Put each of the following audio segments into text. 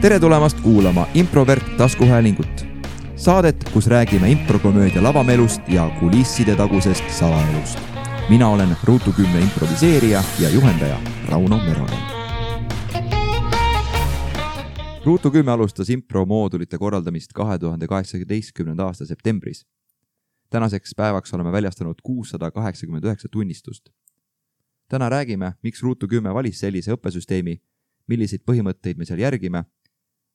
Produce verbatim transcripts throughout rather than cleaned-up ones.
tere tulemast kuulama Improvert taskuhäälingut. Saadet, kus räägime improkomöödia lavamelust ja kulisside tagusest salaelust. Mina olen Ruutu kümne improviseerija ja juhendaja Rauno Meronen. Ruutu kümme alustas impromoodulite korraldamist kahe tuhande kaheksateistkümnenda aasta septembris. Tänaseks päevaks oleme väljastanud kuussada kaheksakümmend üheksa tunnistust. Täna räägime, miks Ruutu kümme valis sellise õppesüsteemi, milliseid põhimõtteid me seal järgime,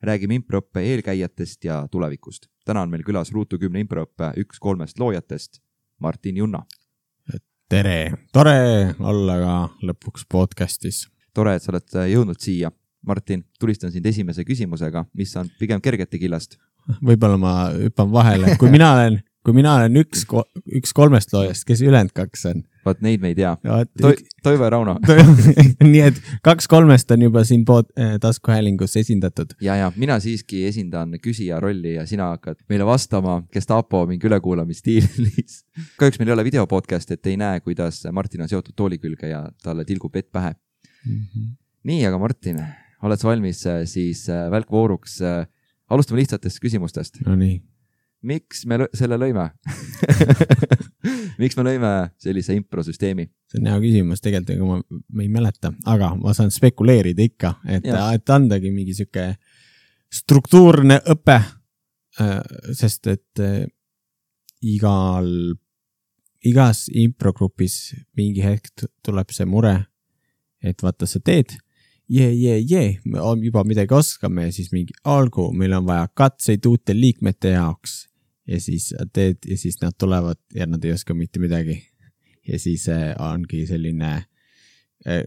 räägime improõppe eelkäijatest ja tulevikust. Täna on meil külas Ruutu kümne improõppe üks kolmest loojatest, Martin Junna. Tere! Tore olla ka lõpuks podcastis. Tore, et sa oled jõudnud siia. Martin, tulistan sind esimese küsimusega, mis on pigem kergete killast. Võib-olla ma hüppan vahele. Kui mina olen, kui mina olen üks, üks kolmest loojast, kes ülend kaks on? Vaat neid me ei tea. To, Toivo ja Rauno. Nii et kaks kolmest on juba siin pood, taskuhäälingus esindatud. Ja, ja mina siiski esindan küsija rolli ja sina hakkad meile vastama Gestapo mingi ülekuulamistiilis. Kahjuks meil ei ole videopodcast, et ei näe, kuidas Martin on seotud tooli külge ja talle tilgub vett pähe. Mm-hmm. Nii, aga Martin, oled sa valmis siis välkvooruks? Alustame lihtsatest küsimustest. No nii. Miks me lõ- selle lõime? Miks me lõime sellise improsüsteemi? See on hea küsimus, tegelikult ma, ma ei mäleta, aga ma saan spekuleerida ikka, et, et andagi mingi siuke struktuurne õpe, sest et igal, igas improgrupis mingi hetk tuleb see mure, et vaata sa teed, jee, jee, jee, me juba midagi oskame ja siis mingi algu, meil on vaja katseid uute liikmete jaoks ja siis teed ja siis nad tulevad ja nad ei oska mitte midagi ja siis ongi selline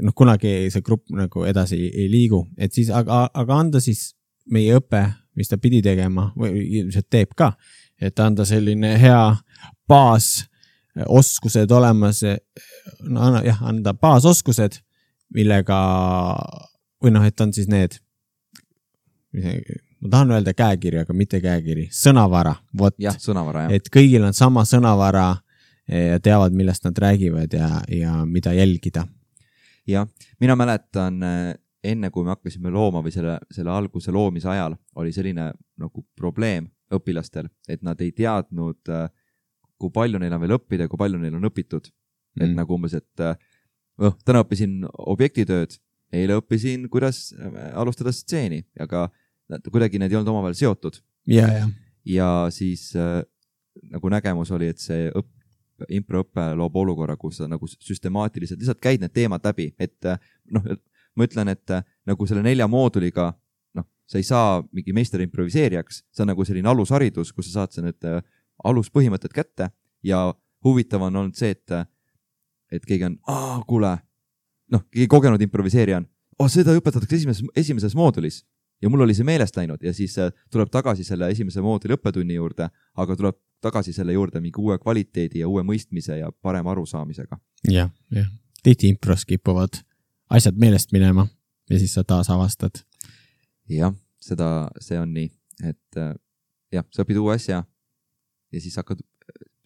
noh, kunagi see grupp nagu edasi ei liigu, et siis aga, aga anda siis meie õpe, mis ta pidi tegema või ilmselt teeb ka, et anda selline hea baas oskused olemas no, jah, anda baasoskused millega, või noh, et on siis need, ma tahan öelda käekiri, aga mitte käekiri, sõnavara. Vot, jah, sõnavara, jah. Et kõigil on sama sõnavara ja teavad, millest nad räägivad ja, ja mida jälgida. Ja, mina mäletan, enne kui me hakkasime looma või selle, selle alguse loomise ajal, oli selline nagu probleem õpilastel, et nad ei teadnud, kui palju neil on veel õppida ja kui palju neil on õpitud. Mm. Et nagu umbes, et oh, täna õppisin objektitööd, eile õppisin, kuidas alustada stseeni, aga kuidagi need ei olnud omavahel seotud. Ja, ja. ja siis äh, nagu nägemus oli, et see õpp, improõppe loob olukorra, kus sa nagu süstemaatiliselt lihtsalt käid need teemad läbi, et noh, ma ütlen, et nagu selle nelja mooduliga, noh, sa ei saa mingi meister improviseerijaks, see on nagu selline alusharidus, kus sa saad see need aluspõhimõtted kätte ja huvitav on olnud see, et et keegi on, aa, kuule, noh, keegi kogenud improviseerija on, oh, seda õpetatakse esimeses, esimeses moodulis ja mul oli see meelest läinud ja siis tuleb tagasi selle esimese mooduli õppetunni juurde, aga tuleb tagasi selle juurde mingi uue kvaliteedi ja uue mõistmise ja parema arusaamisega. Jah, jah. Tihti impros kipuvad asjad meelest minema ja siis sa taas avastad. Jah, seda, see on nii, et jah, sa õpid uue asja ja siis hakkad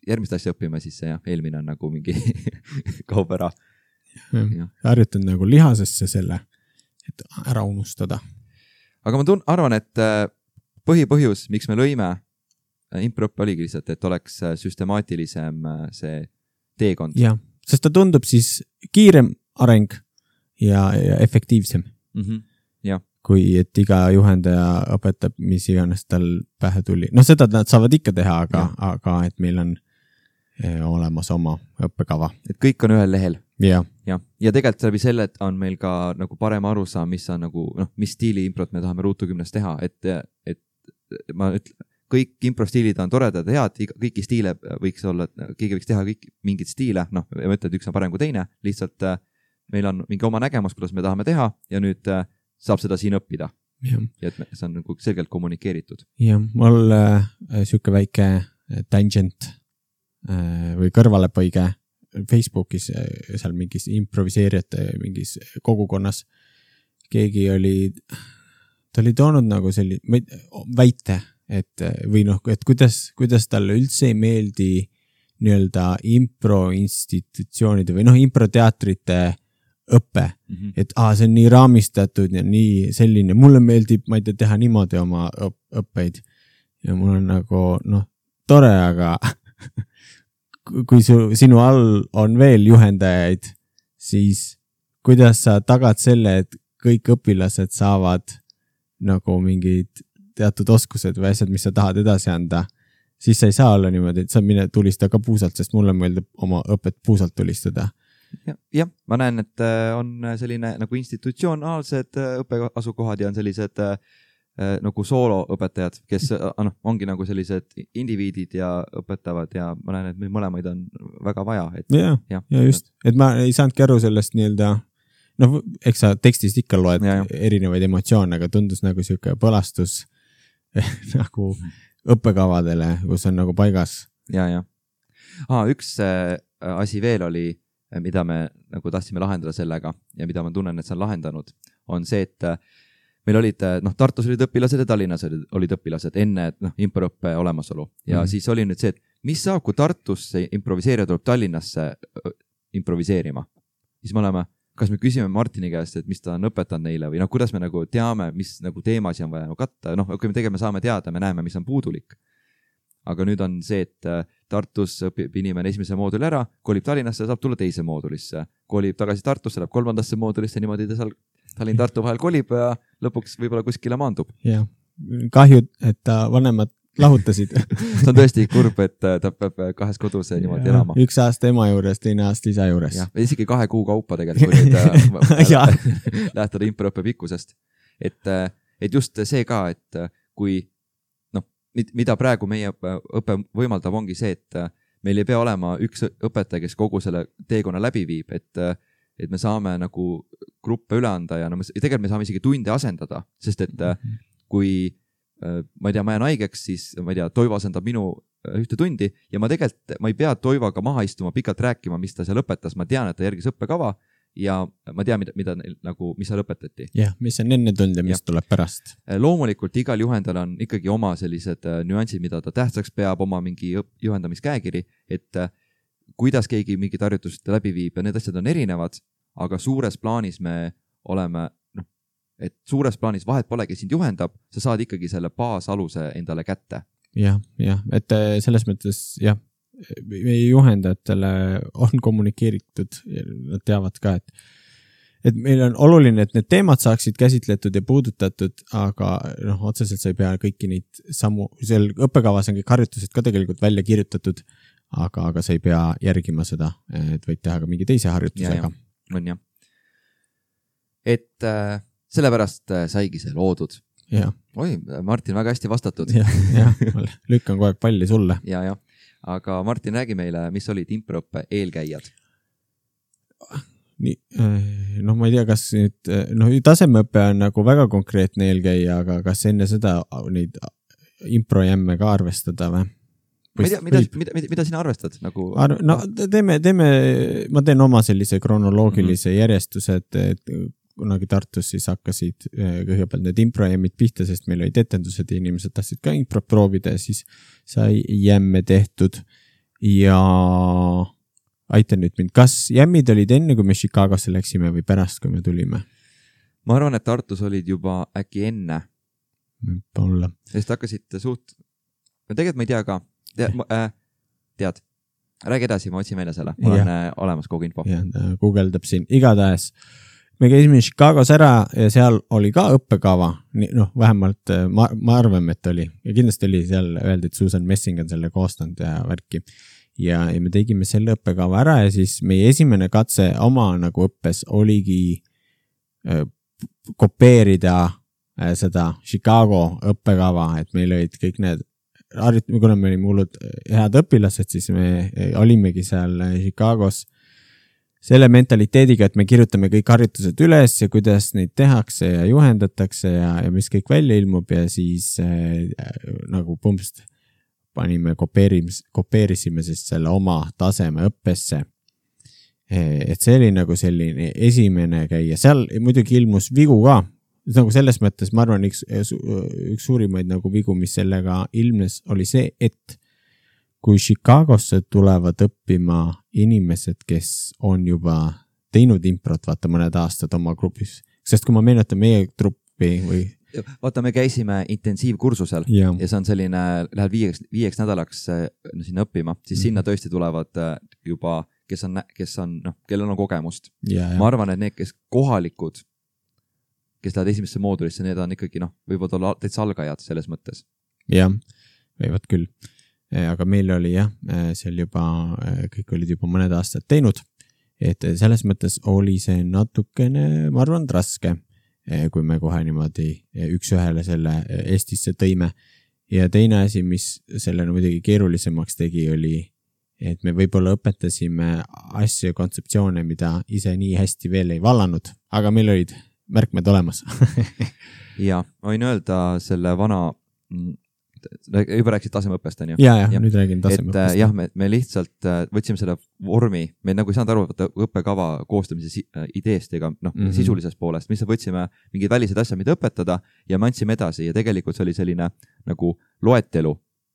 järgmist asja õppima, siis see jah, eelmine on nagu mingi kaub ära. Harjutan nagu lihasesse selle, et ära unustada. Aga ma tun- arvan, et põhipõhjus, miks me lõime improõppe oligi lihtsalt, et oleks süstemaatilisem see teekond. Jah, sest ta tundub siis kiirem areng ja, ja efektiivsem. Mm-hmm. Ja. Kui et iga juhendaja õpetab, mis iganes tal pähe tuli. No seda nad saavad ikka teha, aga, aga et meil on olemas oma õppekava. Et kõik on ühel lehel. Ja. Ja, ja tegelikult läbi selle on meil ka nagu parem arusaam, mis on nagu, noh, mis stiili improt me tahame Ruutu kümnest teha, et, et ma ütlen, kõik improstiilid on toredad ja head, kõiki stiile võiks olla, keegi võiks teha kõik mingid stiile, noh, ma ütlen, et üks on parem kui teine, lihtsalt meil on mingi oma nägemus, kuidas me tahame teha ja nüüd saab seda siin õppida. Ja, ja et see on nagu selgelt kommunikeeritud. Ja, mul äh, siuke väike tangent äh, või kõrvalepõige Facebookis, seal mingis improviseerijate mingis kogukonnas keegi oli, ta oli toonud nagu selline väite, et või noh, et kuidas, kuidas talle üldse ei meeldi nii-öelda impro institutsioonide või noh, improteatrite õpe mm, -hmm. et aa, see on nii raamistatud ja nii selline, mulle meeldib, ma ei tea, teha niimoodi oma õppeid ja mul on nagu, noh, tore, aga kui su, sinu all on veel juhendajaid, siis kuidas sa tagad selle, et kõik õpilased saavad nagu mingid teatud oskused või asjad, mis sa tahad edasi anda, siis sa ei saa olla niimoodi, et sa mine tulista ka puusalt, sest mulle meeldib oma õpet puusalt tulistada. jah, ja, ma näen, et on selline nagu institutsionaalsed õppeasukohad ja on sellised äh, nagu sooloõpetajad, kes noh, ongi nagu sellised indiviidid ja õpetavad ja ma näen, et meil mõlemaid on väga vaja. Et, ja, ja, ja just, et ma ei saanudki aru sellest nii-öelda, noh, eks sa tekstist ikka loed ja, ja. erinevaid emotsioone, aga tundus nagu siuke põlastus nagu õppekavadele, kus on nagu paigas. Ja, ja. Ah, üks äh, asi veel oli, mida me nagu tahtsime lahendada sellega ja mida ma tunnen, et see on lahendanud, on see, et äh, meil olid, noh, Tartus olid õpilased ja Tallinnas olid, olid õpilased enne, et noh, improõppe olemasolu. Ja mm-hmm. siis oli nüüd see, et mis saab, kui Tartusse improviseerija tuleb Tallinnasse improviseerima. Siis me oleme, kas me küsime Martini käest, et mis ta on õpetanud neile või noh, kuidas me nagu teame, mis nagu teemasi on vaja nagu katta. Noh, kui me tegeme, saame teada, me näeme, mis on puudulik. Aga nüüd on see, et Tartus õpib inimene esimese mooduli ära, kolib Tallinnasse, saab tulla teise moodulisse. Kolib tagasi Tartusse, läheb kolmandasse moodulisse, niimoodi ta seal Tallinn-Tartu vahel kolib ja lõpuks võib-olla kuskile maandub. Jah, kahju, et ta vanemad lahutasid. See on tõesti kurb, et ta peab kahes kodus niimoodi ja, elama. Üks aasta ema juures, teine aasta isa juures. Ja, isegi kahe kuu kaupa tegelikult lähtada improõppe pikkusest. Et, et just see ka, et kui noh, mida praegu meie õppe võimaldab, ongi see, et meil ei pea olema üks õpetaja, kes kogu selle teekonna läbi viib, et et me saame nagu gruppe üle anda ja no me, tegelikult me saame isegi tunde asendada, sest et mm-hmm. kui ma ei tea, ma jään haigeks, siis ma ei tea, Toivo asendab minu ühte tundi ja ma tegelikult, ma ei pea Toivoga maha istuma, pikalt rääkima, mis ta seal õpetas, ma tean, et ta järgis õppekava ja ma tean, mida, mida nagu, mis seal õpetati. Jah, mis on enne tund ja mis ja. tuleb pärast. Loomulikult igal juhendajal on ikkagi oma sellised nüansid, mida ta tähtsaks peab, oma mingi juhendamiskäekiri, et kuidas keegi mingit harjutust läbi viib ja need asjad on erinevad, aga suures plaanis me oleme, noh, et suures plaanis vahet pole, kes sind juhendab, sa saad ikkagi selle baasaluse endale kätte. Jah, jah, et selles mõttes, jah, meie juhendajatele on kommunikeeritud ja nad teavad ka, et, et meil on oluline, et need teemad saaksid käsitletud ja puudutatud, aga noh, otseselt sa ei pea kõiki neid sammu, seal õppekavas on kõik harjutused ka tegelikult välja kirjutatud, aga, aga sa ei pea järgima seda, et võid teha ka mingi teise harjutusega. Ja, on jah. Et äh, sellepärast äh, saigi see loodud. Ja. Oi, Martin, väga hästi vastatud. Ja, ja lükkan kogu aeg palli sulle. Ja, ja. Aga Martin, räägi meile, mis olid improõppe eelkäijad? Nii, noh, ma ei tea, kas nüüd, noh, tasemeõppe on nagu väga konkreetne eelkäija, aga kas enne seda neid improjämme ka arvestada või? Ma ei tea, mida, mida, mida, mida sina arvestad? Nagu... Ar- no teeme, teeme, ma teen oma sellise kronoloogilise mm-hmm. järjestuse, et, et kunagi Tartus siis hakkasid kõigepealt need improjämmid pihta, sest meil olid etendused ja inimesed tahtsid ka impro proovida ja siis sai jämme tehtud ja aita nüüd mind, kas jämmid olid enne, kui me Chicagosse läksime või pärast, kui me tulime? Ma arvan, et Tartus olid juba äkki enne. Olla. Sest hakkasid suht, tegelikult ma ei tea ka, tead, äh, tead. räägi edasi, ma otsin välja selle, mul ja. on äh, olemas kogu info. Ja, ta guugeldab siin igatahes. Me käisime Chicagos ära ja seal oli ka õppekava, noh, vähemalt ma, ma arvan, et oli. Ja kindlasti oli seal öeldi, et Susan Messing on selle koostanud ja värki. Ja, ja me tegime selle õppekava ära ja siis meie esimene katse oma nagu õppes oligi äh, kopeerida äh, seda Chicago õppekava, et meil olid kõik need, kuna me olime hullud head õpilased, siis me olimegi seal Chicagos selle mentaliteediga, et me kirjutame kõik harjutused üles ja kuidas neid tehakse ja juhendatakse ja, ja mis kõik välja ilmub ja siis äh, nagu pumpst panime, kopeerisime siis selle oma taseme õppesse. Et see oli nagu selline esimene käia. Seal muidugi ilmus vigu ka. Nagu selles mõttes, ma arvan, üks, üks suurimaid nagu vigu, mis sellega ilmnes, oli see, et kui Chicagosse tulevad õppima inimesed, kes on juba teinud improt, vaata mõned aastad oma grupis, sest kui ma meenutan meie truppi või vaata, me käisime intensiivkursusel ja, ja see on selline, lähed viieks, viieks nädalaks no, sinna õppima, siis mm-hmm. sinna tõesti tulevad juba, kes on, kes on, noh, kellel on kogemust. Ja, ja. Ma arvan, et need, kes kohalikud, kes lähevad esimesse moodulisse, need on ikkagi, noh, võivad olla täitsa algajad selles mõttes. Jah, võivad küll. Aga meil oli jah, seal juba, kõik olid juba mõned aastad teinud, et selles mõttes oli see natukene, ma arvan, raske, kui me kohe niimoodi üks ühele selle Eestisse tõime. Ja teine asi, mis selle muidugi keerulisemaks tegi, oli, et me võib-olla õpetasime asju ja kontseptsioone, mida ise nii hästi veel ei vallanud, aga meil olid märkmed olemas. ja, ma võin öelda selle vana, juba rääkisid tasemeõppest, on ju? Ja, ja, ja, nüüd räägin tasemeõppest. Et jah, me, me lihtsalt võtsime selle vormi, me nagu ei saanud aru võtta õppekava koostamise ideest ega noh, mm-hmm. sisulisest poolest, mis võtsime mingid välised asjad, mida õpetada ja me andsime edasi ja tegelikult see oli selline nagu loetelu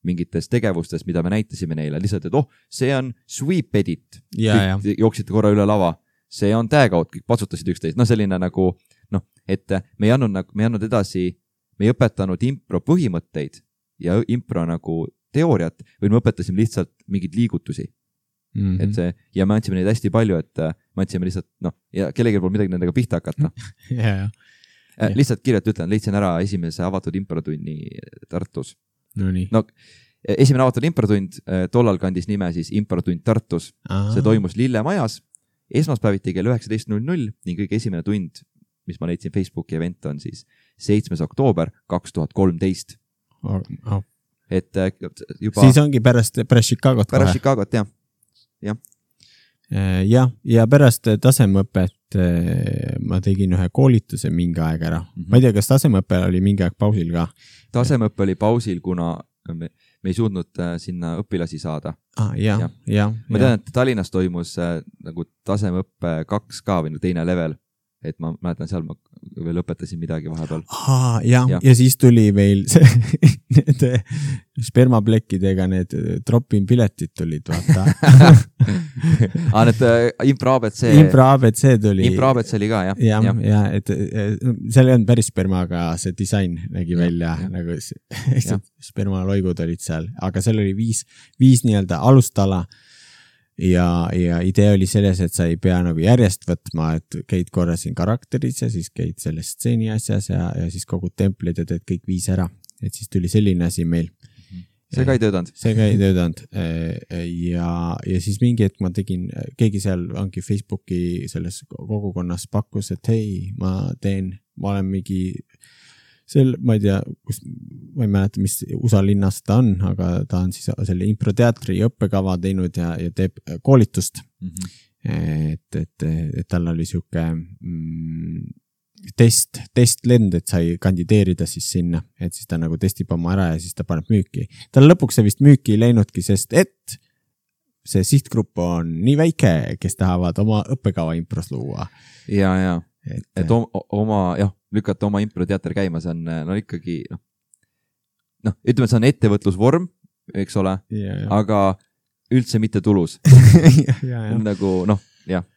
mingitest tegevustest, mida me näitasime neile, lihtsalt, et oh, see on sweep edit, jooksite korra üle lava, see on tag out, kõik patsutasid üksteist, no selline nagu, noh, et me ei andnud, me ei andnud edasi, me ei õpetanud impro põhimõtteid ja impro nagu teooriat, või me õpetasime lihtsalt mingeid liigutusi. Mm-hmm. Et see, ja me andsime neid hästi palju, et me andsime lihtsalt, noh, ja kellegi pool midagi nendega pihta hakata. ja, ja. Äh, lihtsalt kirjalt ütlen, leidsin ära esimese avatud improtunni Tartus. No nii. No, esimene avatud improtund, tollal kandis nime siis improtund Tartus. Aha. See toimus Lillemajas, esmaspäeviti kell üheksateist null null ning kõige esimene tund, mis ma leidsin Facebooki event on siis seitsmes oktoober kaks tuhat kolmteist. Oh, oh. Et juba siis ongi pärast, pärast Chicagot pärast Chicagot, jah. Ja. ja, ja pärast tasemeõpet ma tegin ühe koolituse mingi aeg ära. Mm-hmm. Ma ei tea, kas tasemeõpe oli mingi aeg pausil ka? Tasemeõpe oli pausil, kuna me, me ei suutnud sinna õpilasi saada. Ah, ja, ja. Ja, ma tean, et Tallinnas toimus nagu tasemeõppe kaks ka või teine level. Et ma mäletan, seal ma veel õpetasin midagi vahepeal. Aa, ja, ja. ja siis tuli veel see, need spermaplekkidega need drop-in piletid tulid, vaata. Aa, need impro A B C. Impro A B C tuli. Impro A B C oli ka, jah. Ja, ja, ja et seal ei olnud päris spermaga, see disain nägi ja, välja, ja. Nagu spermaloigud olid seal, aga seal oli viis, viis nii-öelda alustala. Ja, ja idee oli selles, et sa ei pea nagu järjest võtma, et käid korra siin karakteris ja siis käid selles stseeni asjas ja, ja siis kogud templid ja teed kõik viis ära. Et siis tuli selline asi meil. See ka ei töödanud. See ka ei töödanud. Ja, ja siis mingi hetk ma tegin, keegi seal ongi Facebooki selles kogukonnas pakkus, et hei, ma teen, ma olen mingi sel, ma ei tea, kus, ma ei mäleta, mis U S A linnas ta on, aga ta on siis selle improteatri õppekava teinud ja, ja teeb koolitust. Mm-hmm. Et, et, et tal oli siuke mm, test, testlend, et sai kandideerida siis sinna, et siis ta nagu testib oma ära ja siis ta paneb müüki. Tal lõpuks see vist müüki ei läinudki, sest et see sihtgrupp on nii väike, kes tahavad oma õppekava impros luua. Ja, ja. Et, et oma, jah, lükata oma improteater käima, see on no ikkagi, noh, noh, ütleme, et see on ettevõtlusvorm, eks ole, ja, ja. Aga üldse mitte tulus. ja, ja, ja. Nagu, noh, jah.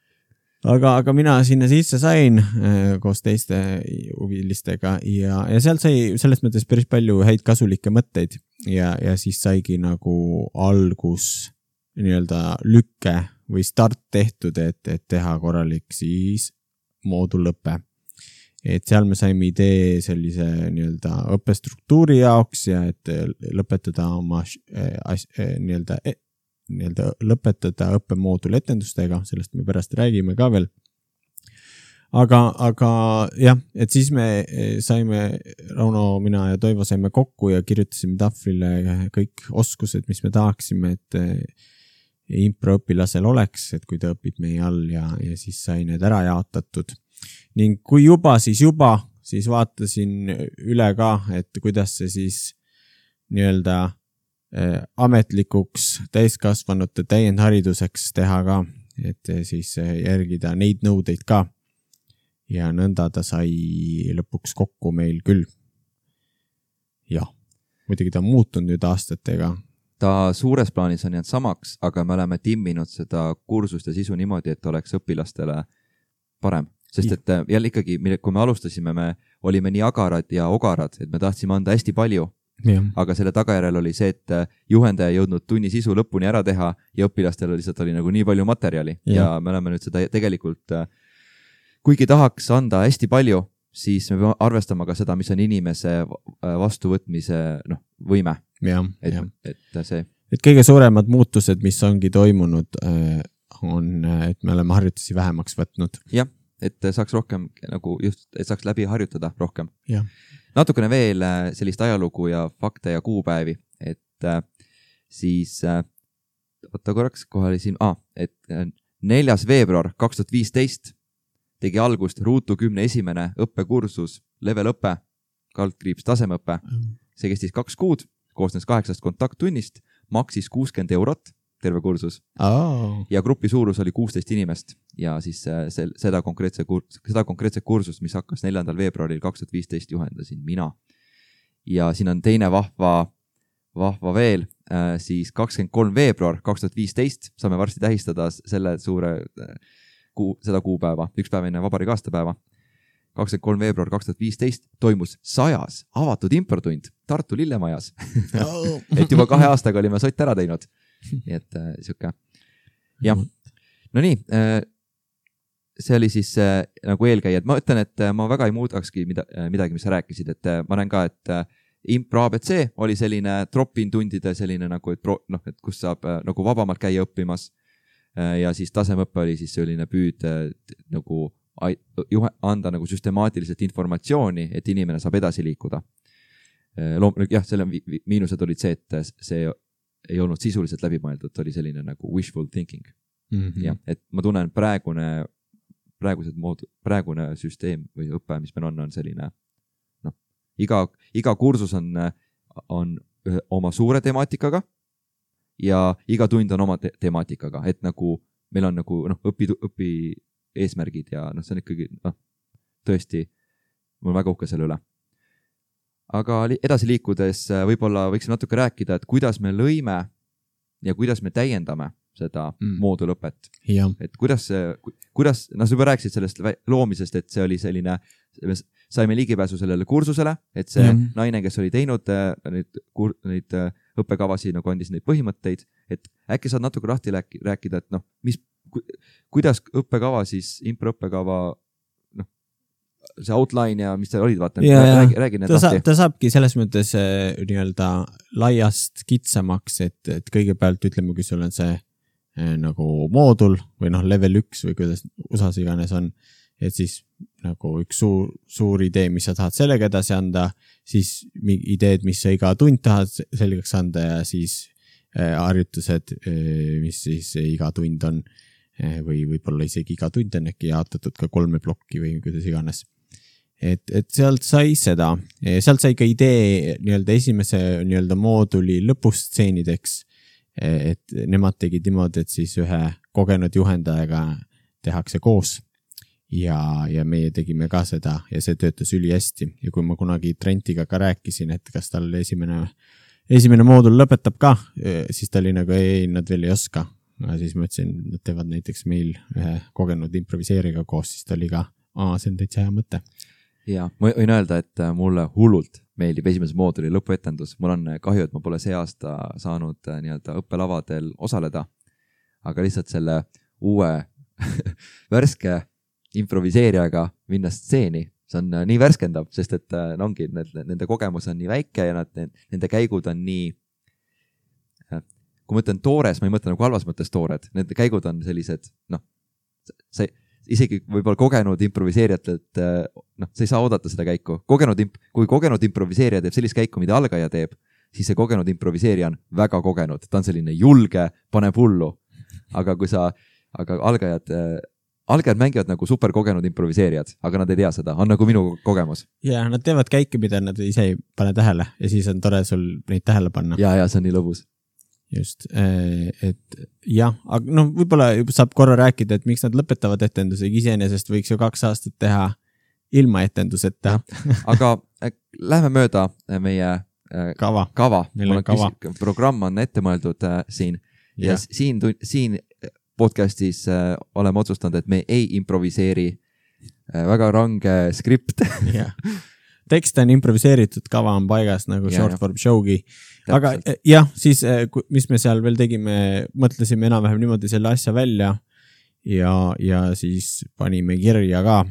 Aga, aga mina sinna sisse sain koos teiste huvilistega ja, ja sealt sai selles mõttes päris palju häid kasulikke mõtteid ja, ja siis saigi nagu algus nii-öelda lükke või start tehtud, et, et teha korralik siis moodulõppe. Et seal me saime idee sellise nii-öelda õppestruktuuri jaoks ja et lõpetada oma as, nii-öelda, nii-öelda lõpetada õppemoodul etendustega, sellest me pärast räägime ka veel. Aga, aga jah, et siis me saime, Rauno, mina ja Toivo saime kokku ja kirjutasime tahvlile kõik oskused, mis me tahaksime, et improõpilasel oleks, et kui ta õpib meie all ja, ja siis sai need ära jaotatud. Ning kui juba, siis juba, siis vaatasin üle ka, et kuidas see siis nii-öelda eh, ametlikuks täiskasvanute täiendhariduseks teha ka, et siis järgida neid nõudeid ka. Ja nõnda ta sai lõpuks kokku meil küll. Jah, muidugi ta on muutunud nüüd aastatega. Ta suures plaanis on jäänud samaks, aga me oleme timminud seda kursust ja sisu niimoodi, et oleks õpilastele parem, sest et jälle ikkagi, kui me alustasime, me olime nii agarad ja ogarad, et me tahtsime anda hästi palju, ja. Aga selle tagajärjel oli see, et juhendaja ei jõudnud tunni sisu lõpuni ära teha ja õpilastel lihtsalt oli nagu nii palju materjali ja, ja me oleme nüüd seda tegelikult, kuigi tahaks anda hästi palju, siis me peame arvestama ka seda, mis on inimese vastuvõtmise noh, võime. Ja, et, ja. et see. Et kõige suuremad muutused, mis ongi toimunud, on, et me oleme harjutusi vähemaks võtnud. Jah, et saaks rohkem nagu just, et saaks läbi harjutada rohkem. Ja. Natukene veel sellist ajalugu ja fakte ja kuupäevi, et siis, võtta korraks, kohe oli siin, ah, et neljas veebruar kaks tuhat viisteist tegi algust Ruutu kümne esimene õppekursus, level õpe, kaldkriips tasemeõpe. See kestis kaks kuud, koosnes kaheksast kontakttunnist, maksis kuuskümmend eurot, terve kursus. Oh. Ja grupi suurus oli kuusteist inimest ja siis sel, seda, konkreetse kurs, seda konkreetse kursust, mis hakkas neljandal veebruaril kaks tuhat viisteist juhendasin mina. Ja siin on teine vahva, vahva veel, siis kakskümmend kolm veebruar kaks tuhat viisteist saame varsti tähistada selle suure kuu, seda kuupäeva, üks päev enne vabariigi aastapäeva. kakskümmend kolm veebruar kaks tuhat viisteist toimus sajas avatud improtund Tartu Lillemajas. Oh. Et juba kahe aastaga olime sott ära teinud. Nii et äh, siuke. Jah. No nii, äh, see oli siis äh, nagu eelkäijad. Ma ütlen, et äh, ma väga ei muudakski mida, äh, midagi, mis sa rääkisid. Et äh, ma näen ka, et äh, Impro A B C oli selline drop-in tundide selline nagu, et, pro, noh, et kus saab äh, nagu vabamalt käia õppimas. Äh, ja siis tasemõppe oli siis selline püüd äh, nagu juhe, anda nagu süstemaatiliselt informatsiooni, et inimene saab edasi liikuda. Äh, loom, jah, selle miinused olid see, et see ei olnud sisuliselt läbimõeldud, oli selline nagu wishful thinking. Mm-hmm. Ja, et ma tunnen praegune, praegused mood, praegune süsteem või õpe, mis meil on, on selline, noh, iga, iga kursus on, on oma suure temaatikaga ja iga tund on oma te temaatikaga, et nagu meil on nagu, noh, õpi, õpi eesmärgid ja noh, see on ikkagi, noh, tõesti, mul on väga uhke selle üle. Aga edasi liikudes võib-olla võiksime natuke rääkida, et kuidas me lõime ja kuidas me täiendame seda mm. moodulõpet. Ja. Et kuidas, kuidas, no sa juba rääkisid sellest loomisest, et see oli selline, saime ligipääsu sellele kursusele, et see ja. naine, kes oli teinud neid, neid õppekavasi, nagu andis neid põhimõtteid, et äkki saad natuke lahti rääkida, et noh, mis, kuidas õppekava siis, impro õppekava see outline ja mis seal olid, vaata, räägi, räägi need ta, lahti. Ta saabki selles mõttes äh, nii-öelda laiast kitsamaks, et, et kõigepealt ütleme, kui sul on see äh, nagu moodul või noh, level üks või kuidas usas iganes on, et siis nagu üks suur, suur idee, mis sa tahad sellega edasi anda, siis ideed, mis sa iga tund tahad selgeks anda ja siis äh, harjutused, äh, mis siis iga tund on äh, või võib-olla isegi iga tund on äkki jaotatud ka kolme plokki või kuidas iganes. Et, et sealt sai seda, sealt sai ka idee nii-öelda esimese nii-öelda mooduli lõpustseenideks, et nemad tegid niimoodi, et siis ühe kogenud juhendajaga tehakse koos ja, ja meie tegime ka seda ja see töötas üli hästi ja kui ma kunagi Trentiga ka rääkisin, et kas tal esimene, esimene moodul lõpetab ka, siis ta oli nagu ei, nad veel ei oska. Ja siis ma ütlesin, nad teevad näiteks meil ühe kogenud improviseeriga koos, siis ta oli ka, aa, see on täitsa hea mõte. Ja, ma võin öelda, et mulle hullult meeldib esimese mooduli lõpuetendus. Mul on kahju, et ma pole see aasta saanud nii-öelda õppelavadel osaleda, aga lihtsalt selle uue värske improviseerijaga minna stseeni, see on nii värskendav, sest et no ongi, nende kogemus on nii väike ja nad, nende käigud on nii, kui ma mõtlen toores, ma ei mõtle nagu halvas mõttes toored, nende käigud on sellised, noh, see isegi võib-olla kogenud improviseerijatelt, noh, sa ei saa oodata seda käiku. Kogenud, kui kogenud improviseerija teeb sellist käiku, mida algaja teeb, siis see kogenud improviseerija on väga kogenud. Ta on selline julge, paneb hullu. Aga kui sa, aga algajad, algajad mängivad nagu superkogenud improviseerijad, aga nad ei tea seda. On nagu minu kogemus. Ja, nad teevad käike, mida nad ise ei pane tähele ja siis on tore sul neid tähele panna. Ja, ja see on nii lõbus. Just, et jah, aga noh, võib-olla saab korra rääkida, et miks nad lõpetavad etenduse, iseenesest võiks ju kaks aastat teha ilma etenduseta. Aga lähme mööda meie kava, kava. kava. Programm on ette mõeldud siin ja, ja siin, siin podcastis oleme otsustanud, et me ei improviseeri väga range skript. jah. Tekst on improviseeritud, kava on paigas nagu ja, short form show'gi. Aga jah, siis mis me seal veel tegime, mõtlesime enam-vähem niimoodi selle asja välja ja, ja siis panime kirja ka.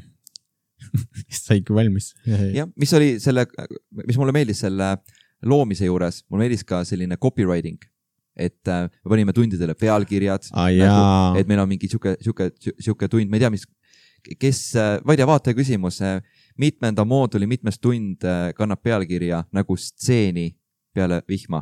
Saigi valmis. jah, mis oli selle, mis mulle meeldis selle loomise juures, mulle meeldis ka selline copywriting, et me panime tundidele pealkirjad, ah, nagu, et meil on mingi siuke, siuke, siuke tund, ma ei tea, mis kes, ma ei tea, vaataja küsimus, mitmenda mooduli mitmes tund kannab pealkirja nagu stseeni peale vihma.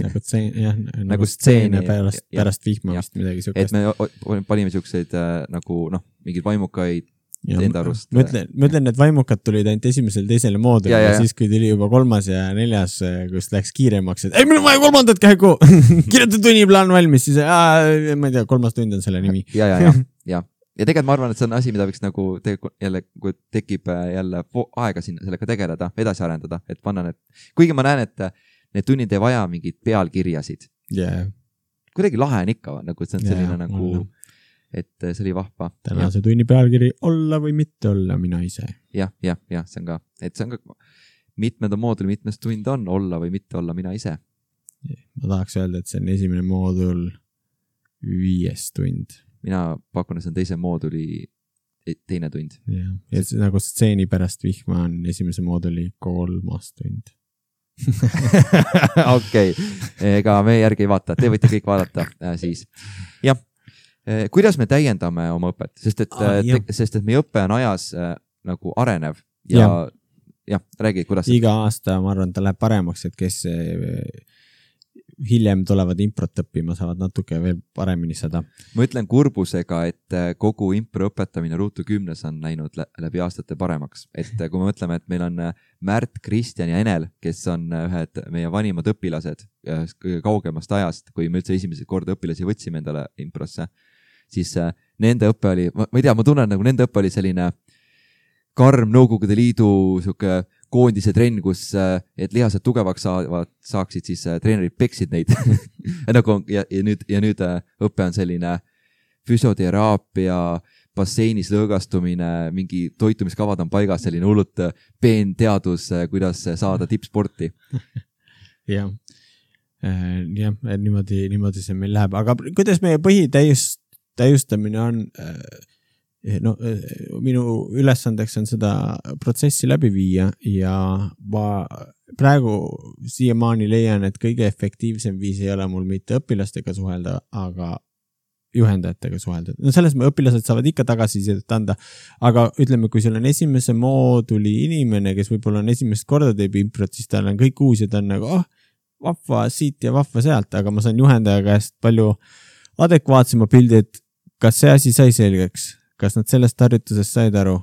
nagu stseeni, jah, nagu, nagu stseeni pärast, pärast vihma vist midagi siukest. Et me panime siukseid nagu, noh, mingid vaimukaid enda arust. Ma ütlen, ma ütlen, et vaimukad tulid ainult esimesel teisele moodul ja, ja, ja siis, kui tuli juba kolmas ja neljas, kus läks kiiremaks, et ei, meil on vaja kolmandat käigu, kirjuta tunniplaan valmis, siis aa, ma ei tea, kolmas tund on selle nimi. ja, ja, ja, ja. Ja tegelikult ma arvan, et see on asi, mida võiks nagu tegelikult jälle, kui tekib jälle aega sinna sellega tegeleda, edasi arendada, et panna need, kuigi ma näen, et need tunnid ei vaja mingid pealkirjasid. Yeah. Kuidagi lahe on ikka, nagu see on selline yeah, nagu, olla. Et see oli vahva. Tänase tunni pealkiri olla või mitte olla mina ise. jah, jah, jah, see on ka, et see on ka mitmenda mooduli, mitmes tund on olla või mitte olla mina ise. Ma tahaks öelda, et see on esimene moodul viies tund. Mina pakun, et see on teise mooduli teine tund. Ja, ja nagu stseeni pärast vihma on esimese mooduli kolmas tund. Okei, ega me järgi ei vaata, te võite kõik vaadata äh, siis. Jah, kuidas me täiendame oma õpet? Sest et, ah, te, sest et meie õpe on ajas äh, nagu arenev ja, ja. jah, räägi, kuidas... Iga aasta, ma arvan, ta läheb paremaks, et kes hiljem tulevad improt õppima, saavad natuke veel paremini seda. Ma ütlen kurbusega, et kogu impro õpetamine Ruutu kümnes on läinud läbi aastate paremaks. Et kui me mõtleme, et meil on Märt, Kristjan ja Enel, kes on ühed meie vanimad õpilased kõige kaugemast ajast, kui me üldse esimesed korda õpilasi võtsime endale improsse, siis nende õppe oli, ma ei tea, ma tunnen, nagu nende õppe oli selline karm Nõukogude Liidu siuke koondise trenn, kus et lihased tugevaks saavad, saaksid, siis treenerid peksid neid. nagu, ja, ja, nüüd, ja nüüd õpe on selline füsioteraapia, basseinis lõõgastumine, mingi toitumiskavad on paigas, selline hullult peen teadus, kuidas saada tippsporti. jah, jah, niimoodi, niimoodi see meil läheb. Aga kuidas meie põhitäiust, täiustamine on... No, minu ülesandeks on seda protsessi läbi viia ja ma praegu siiamaani leian, et kõige efektiivsem viis ei ole mul mitte õpilastega suhelda, aga juhendajatega suhelda. No selles me õpilased saavad ikka tagasisidet anda, aga ütleme, kui sul on esimese mooduli inimene, kes võib-olla on esimest korda teeb improt, siis tal on kõik uus ja ta on nagu, oh, vahva siit ja vahva sealt, aga ma saan juhendaja käest palju adekvaatsema pildi, et kas see asi sai selgeks? Kas nad sellest harjutusest said aru,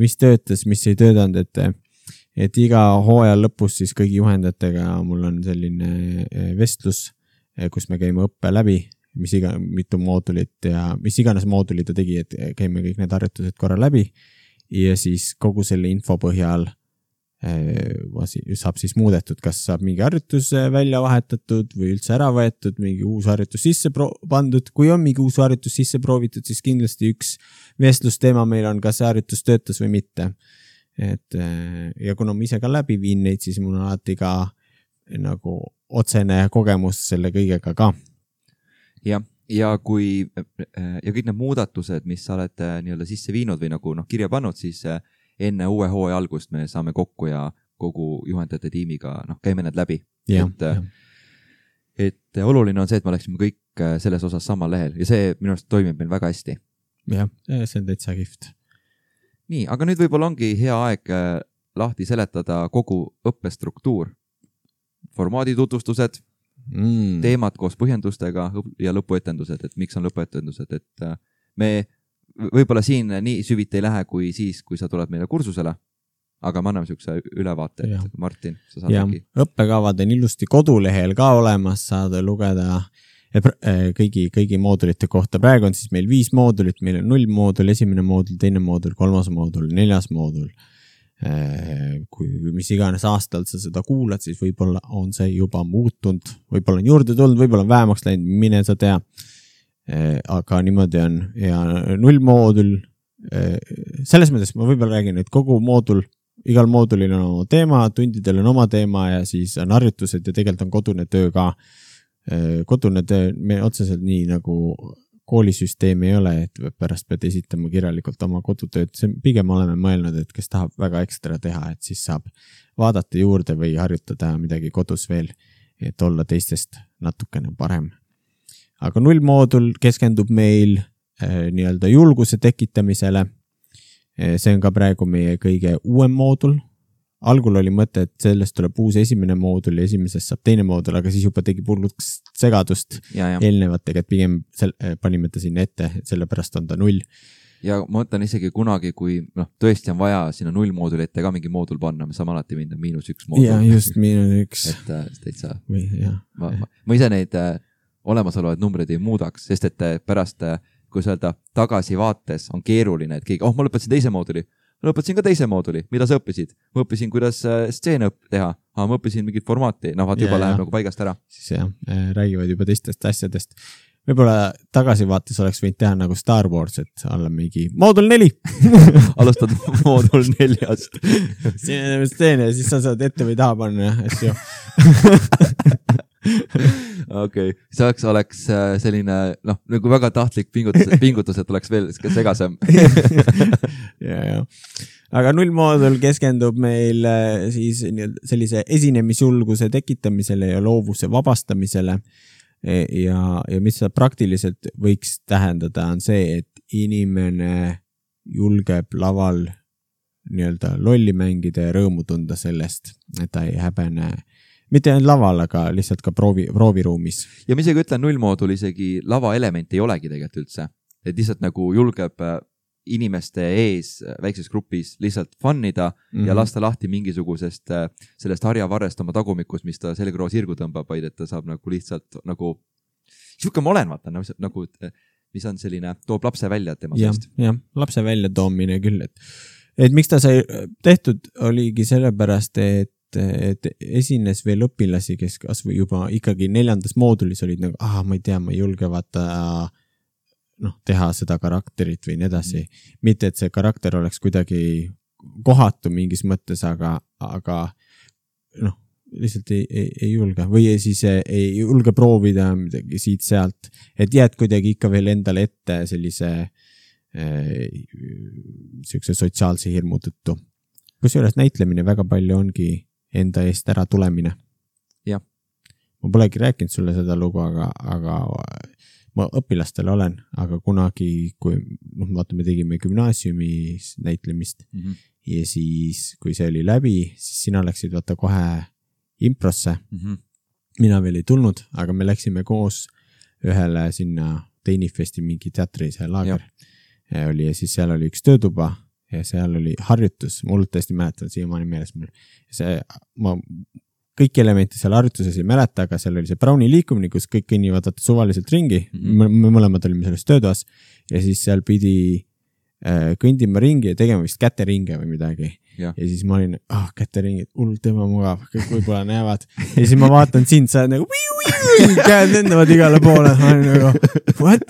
mis töötas, mis ei töötanud, et, et iga hooaja lõpus siis kõigi juhendajatega mul on selline vestlus, kus me käime õppe läbi, mis iga, mitu moodulit ja mis iganes mooduli ta tegi, et käime kõik need harjutused korra läbi ja siis kogu selle info põhjal saab siis muudetud, kas saab mingi harjutus välja vahetatud või üldse ära võetud, mingi uus harjutus sisse pro- pandud. Kui on mingi uus harjutus sisse proovitud, siis kindlasti üks vestlusteema meil on, kas see harjutus töötas või mitte. Et, ja kuna ma ise ka läbi viin neid, siis mul on alati ka nagu otsene kogemus selle kõigega ka. Ja, ja kui ja kõik need muudatused, mis sa oled nii-öelda sisse viinud või nagu noh, kirja pannud, siis enne uue hooaja algust me saame kokku ja kogu juhendajate tiimiga noh, käime need läbi. Ja, et, ja. et oluline on see, et me oleksime kõik selles osas samal lehel ja see minu arust toimib meil väga hästi. Jah, see on täitsa kihvt. Nii, aga nüüd võib-olla ongi hea aeg lahti seletada kogu õppestruktuur. Formaadi tutvustused, mm. teemad koos põhjendustega ja lõpuetendused, et miks on lõpuetendused, et me võib-olla siin nii süviti ei lähe kui siis, kui sa tuled meile kursusele, aga me anname siukse ülevaate, et Martin, sa saad äkki. Õppekavad on ilusti kodulehel ka olemas, saad lugeda kõigi, kõigi moodulite kohta. Praegu on siis meil viis moodulit, meil on null moodul, esimene moodul, teine moodul, kolmas moodul, neljas moodul. Kui mis iganes aastal sa seda kuulad, siis võib-olla on see juba muutunud, võib-olla on juurde tulnud, võib-olla on vähemaks läinud, mine sa tea. Aga niimoodi on ja null moodul selles mõttes ma võib-olla räägin, et kogu moodul, igal moodulil on oma teema, tundidel on oma teema ja siis on harjutused ja tegelikult on kodune töö ka. Kodune töö, me otseselt nii nagu koolisüsteemi ei ole, et pärast pead esitama kirjalikult oma kodutööd. See pigem oleme mõelnud, et kes tahab väga ekstra teha, et siis saab vaadata juurde või harjutada midagi kodus veel, et olla teistest natukene parem. Aga nullmoodul keskendub meil eh, nii-öelda julguse tekitamisele. Eh, see on ka praegu meie kõige uuem moodul. Algul oli mõte, et sellest tuleb uus esimene moodul ja esimesest saab teine moodul, aga siis juba tegi pulluks segadust ja, ja. Eelnevatega, et pigem sel, panime ta sinna ette, et sellepärast on ta null. Ja ma mõtlen isegi kunagi, kui noh, tõesti on vaja sinna null mooduli ette ka mingi moodul panna, me saame alati minna miinus üks moodul. Ja just miinus üks. Et äh, teid saa. Või, jah. Ma, ma, ma ise neid äh, olemasolevaid numbreid ei muudaks, sest et äh, pärast, äh, kui öelda tagasi vaates on keeruline, et keegi, oh, ma lõpetasin teise mooduli. Ma lõpetasin ka teise mooduli, mida sa õppisid? Ma õppisin, kuidas stseene õpp teha, aga ma õppisin mingit formaati, no vaat juba ja, läheb ja. Nagu paigast ära. Siis jah, räägivad juba teistest asjadest. Võib-olla tagasivaates oleks võinud teha nagu Star Wars, et olla mingi moodul neli. Alustad moodul neljast. Siin on stseene ja siis sa saad ette või taha panna, asju. Okei, okay. See oleks selline, noh, nagu väga tahtlik pingutus, pingutus, et oleks veel segasem. ja, ja. Aga nullmoodul keskendub meil siis sellise esinemisjulguse tekitamisele ja loovuse vabastamisele. Ja, ja mis seda praktiliselt võiks tähendada on see, et inimene julgeb laval nii-öelda lolli mängida ja rõõmu tunda sellest, et ta ei häbene mitte ainult laval, aga lihtsalt ka proovi, prooviruumis. Ja ma isegi ütlen, nullmoodul isegi lava element ei olegi tegelikult üldse. Et lihtsalt nagu julgeb inimeste ees väikses grupis lihtsalt fannida mm-hmm. ja lasta lahti mingisugusest sellest harjavarrest oma tagumikust, mis ta selgroo sirgu tõmbab, vaid et ta saab nagu lihtsalt nagu siuke ma olen, vaata, nagu, mis on selline, toob lapse välja tema ja, seest. Jah, lapse välja toomine küll, et, et miks ta sai tehtud, oligi sellepärast, et et esines veel õpilasi, kes kas või juba ikkagi neljandas moodulis olid nagu, ah, ma ei tea, ma ei julge vaata noh, teha seda karakterit või nii edasi. Mm. Mitte, et see karakter oleks kuidagi kohatu mingis mõttes, aga, aga noh, lihtsalt ei, ei, ei julge või siis ei julge proovida midagi siit sealt, et jääd kuidagi ikka veel endale ette sellise eh, siukse sotsiaalse hirmu tõttu. Kusjuures näitlemine väga palju ongi enda eest ära tulemine. Jah. Ma polegi rääkinud sulle seda lugu, aga, aga ma õpilastel olen, aga kunagi, kui noh, vaata, me tegime gümnaasiumis näitlemist mm-hmm. ja siis, kui see oli läbi, siis sina läksid vaata kohe improsse. Mm-hmm. Mina veel ei tulnud, aga me läksime koos ühele sinna Teinifesti mingi teatri, see laager ja oli ja siis seal oli üks töötuba ja seal oli harjutus, mul tõesti mäletan siiamaani meeles mul. See, ma kõik elementi seal harjutuses ei mäleta, aga seal oli see Browni liikumine, kus kõik kõnnivad suvaliselt ringi. Mm-hmm. Me mõlemad olime selles töötoas ja siis seal pidi äh, kõndima ringi ja tegema vist käteringe või midagi. Ja, ja siis ma olin, ah, käteringid, hullult tema mugav, kõik võib-olla näevad. Ja siis ma vaatan sind, sa oled nagu viu, viu, käed lendavad igale poole. Ma olin nagu, what?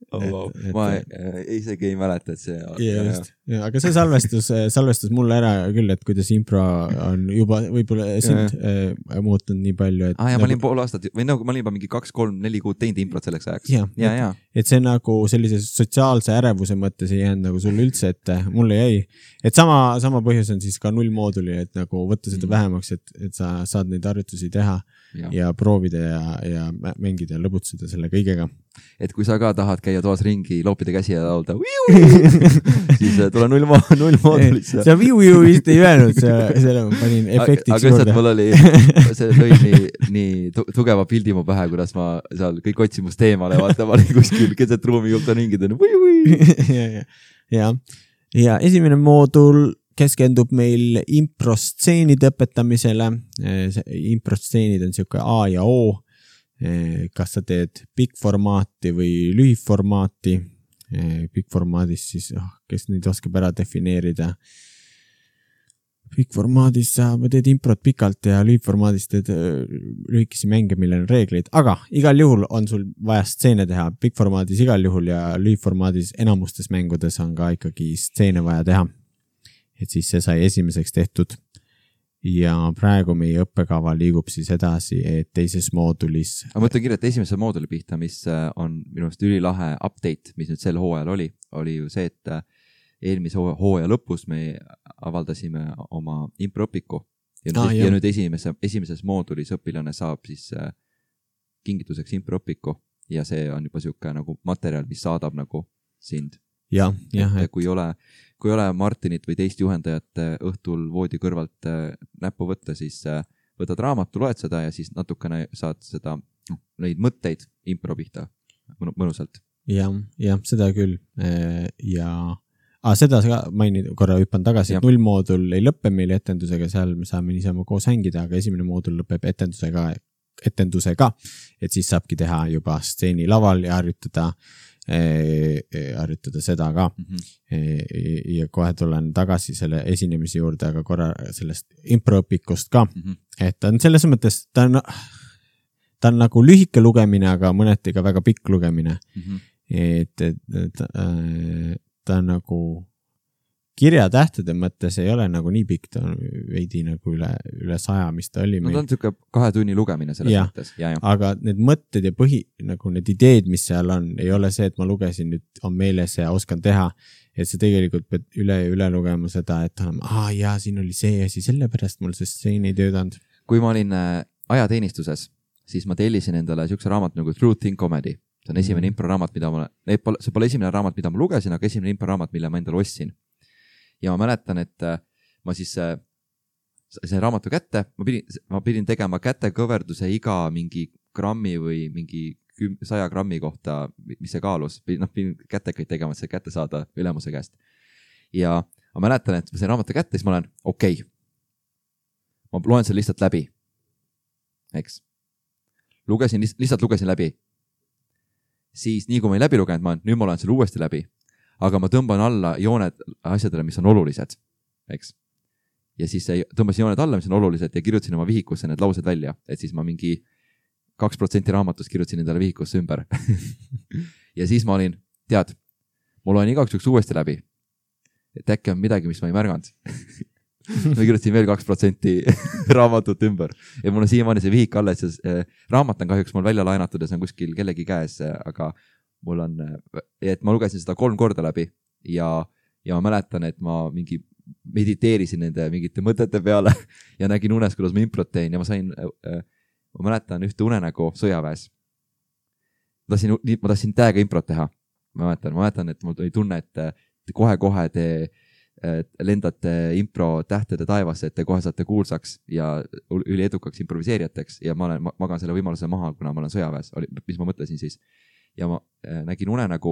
Oh, wow. et, ma et, äh, isegi ei mäleta, et see ja, just, ja, aga see salvestus salvestus mulle ära küll, et kuidas impro on juba võib-olla sind äh, muutunud nii palju, et ah, ja nagu, ma olin pool aastat või nagu ma olin juba mingi kaks, kolm, neli kuud teinud improt selleks ajaks ja, ja, ja. Et see nagu sellise sotsiaalse ärevuse mõttes ei jäänud nagu sulle üldse, et mulle jäi, et sama, sama põhjus on siis ka nullmooduli, et nagu võtta seda mm. vähemaks, et, et sa saad neid harjutusi teha ja, ja proovida ja, ja mängida ja lõbutseda selle kõigega. Et kui sa ka tahad käia toas ringi, loopida käsi ja laulda siis tule null, null moodulisse. See viu-viu vist ei öelnud, selle ma panin efektiks aga juurde. Aga mul oli, see lõi nii, nii tugeva pildi mu pähe, kuidas ma seal kõik otsimust teemale, vaata, ma olin kuskil keset ruumi julta ringi tõin. ja, ja. ja esimene moodul keskendub meil improstseenide õpetamisele. Improstseenid on siuke A ja O. Kas sa teed pikk-formaati või lühiformaati. Pikk-formaadis siis, oh, kes neid oskab ära defineerida. Pikk-formaadis sa teed improt pikalt ja lühikformaadis teed lühikesi mänge, millel on reeglid, aga igal juhul on sul vaja stseene teha. Pikk-formaadis igal juhul ja lühikformaadis enamustes mängudes on ka ikkagi stseene vaja teha. Et siis see sai esimeseks tehtud. Ja praegu meie õppekava liigub siis edasi, et teises moodulis. Ma mõtlen kirjata esimese mooduli pihta, mis on minu arust ülilahe update, mis nüüd sel hooajal oli, oli ju see, et eelmise hooaja lõpus me avaldasime oma impropiku ja, ah, ja nüüd esimese, esimeses moodulis õpilane saab siis kingituseks impropiku ja see on juba siuke nagu materjal, mis saadab nagu sind. Ja, ja, et kui ei ole, kui ei ole Martinit või teist juhendajat õhtul voodi kõrvalt näppu võtta, siis võtad raamatu, loed seda ja siis natukene saad seda, neid mõtteid impro pihta mõnusalt. Ja, ja seda küll. Ja ah, seda mainin korra hüppan tagasi, et null moodul ei lõppe meil etendusega, seal me saame niisama koos hängida, aga esimene moodul lõpeb etendusega, etendusega, et siis saabki teha juba stseeni laval ja harjutada harjutada seda ka mm-hmm. ja kohe tulen tagasi selle esinemise juurde, aga korra sellest improõpikust ka, mm-hmm. et ta on selles mõttes, ta on, ta on nagu lühike lugemine, aga mõneti ka väga pikk lugemine mm-hmm. et, et, et ta on nagu kirjatähtede mõttes ei ole nagu nii pikk, ta on veidi nagu üle, üle saja, mis ta oli. No ta on siuke kahe tunni lugemine selles ja, mõttes. Ja, ja. Aga need mõtted ja põhi, nagu need ideed, mis seal on, ei ole see, et ma lugesin nüüd on meeles ja oskan teha, et see tegelikult pead üle ja üle lugema seda, et on, aa jaa, siin oli see asi, sellepärast mul see stseen ei töötanud. Kui ma olin ajateenistuses, siis ma tellisin endale siukse raamat nagu Truth in Comedy. See on esimene mm. impro raamat, mida ma, see pole esimene raamat, mida ma lugesin, aga esimene impro raamat, mille ma endale ostsin. Ja ma mäletan, et ma siis sain raamatu kätte, ma pidin, ma pidin tegema kätekõverduse iga mingi grammi või mingi saja grammi kohta, mis see kaalus. Noh, pidin kätekaid tegema, et see kätte saada ülemuse käest. Ja ma mäletan, et ma sain raamatu kätte, siis ma olen, okei, okay. ma loen selle lihtsalt läbi. Eks. Lugesin, lihtsalt lugesin läbi. Siis nii kui ma ei läbi lugenud, ma nüüd ma loen selle uuesti läbi. Aga ma tõmban alla jooned asjadele, mis on olulised, eks. Ja siis tõmbasin jooned alla, mis on olulised ja kirjutasin oma vihikusse need laused välja, et siis ma mingi kaks protsenti raamatust kirjutasin endale vihikusse ümber. Ja siis ma olin, tead, ma loen igaks juhuks uuesti läbi, et äkki on midagi, mis ma ei märganud. Ma kirjutasin veel kaks protsenti raamatut ümber ja mul on siiamaani see vihik alles, raamat on kahjuks mul välja laenatud ja see on kuskil kellegi käes, aga mul on, et ma lugesin seda kolm korda läbi ja, ja ma mäletan, et ma mingi mediteerisin nende mingite mõtete peale ja nägin unes, kuidas ma improt tein ja ma sain, ma mäletan ühte unenägu sõjaväes. Ma tahtsin, ma tahtsin täiega improt teha. Ma mäletan, ma mäletan, et mul tuli tunne, et kohe-kohe te lendate impro tähtede taevasse, et te kohe saate kuulsaks ja üli edukaks improviseerijateks ja ma olen, magan selle võimaluse maha, kuna ma olen sõjaväes, mis ma mõtlesin siis. Ja ma nägin unenägu,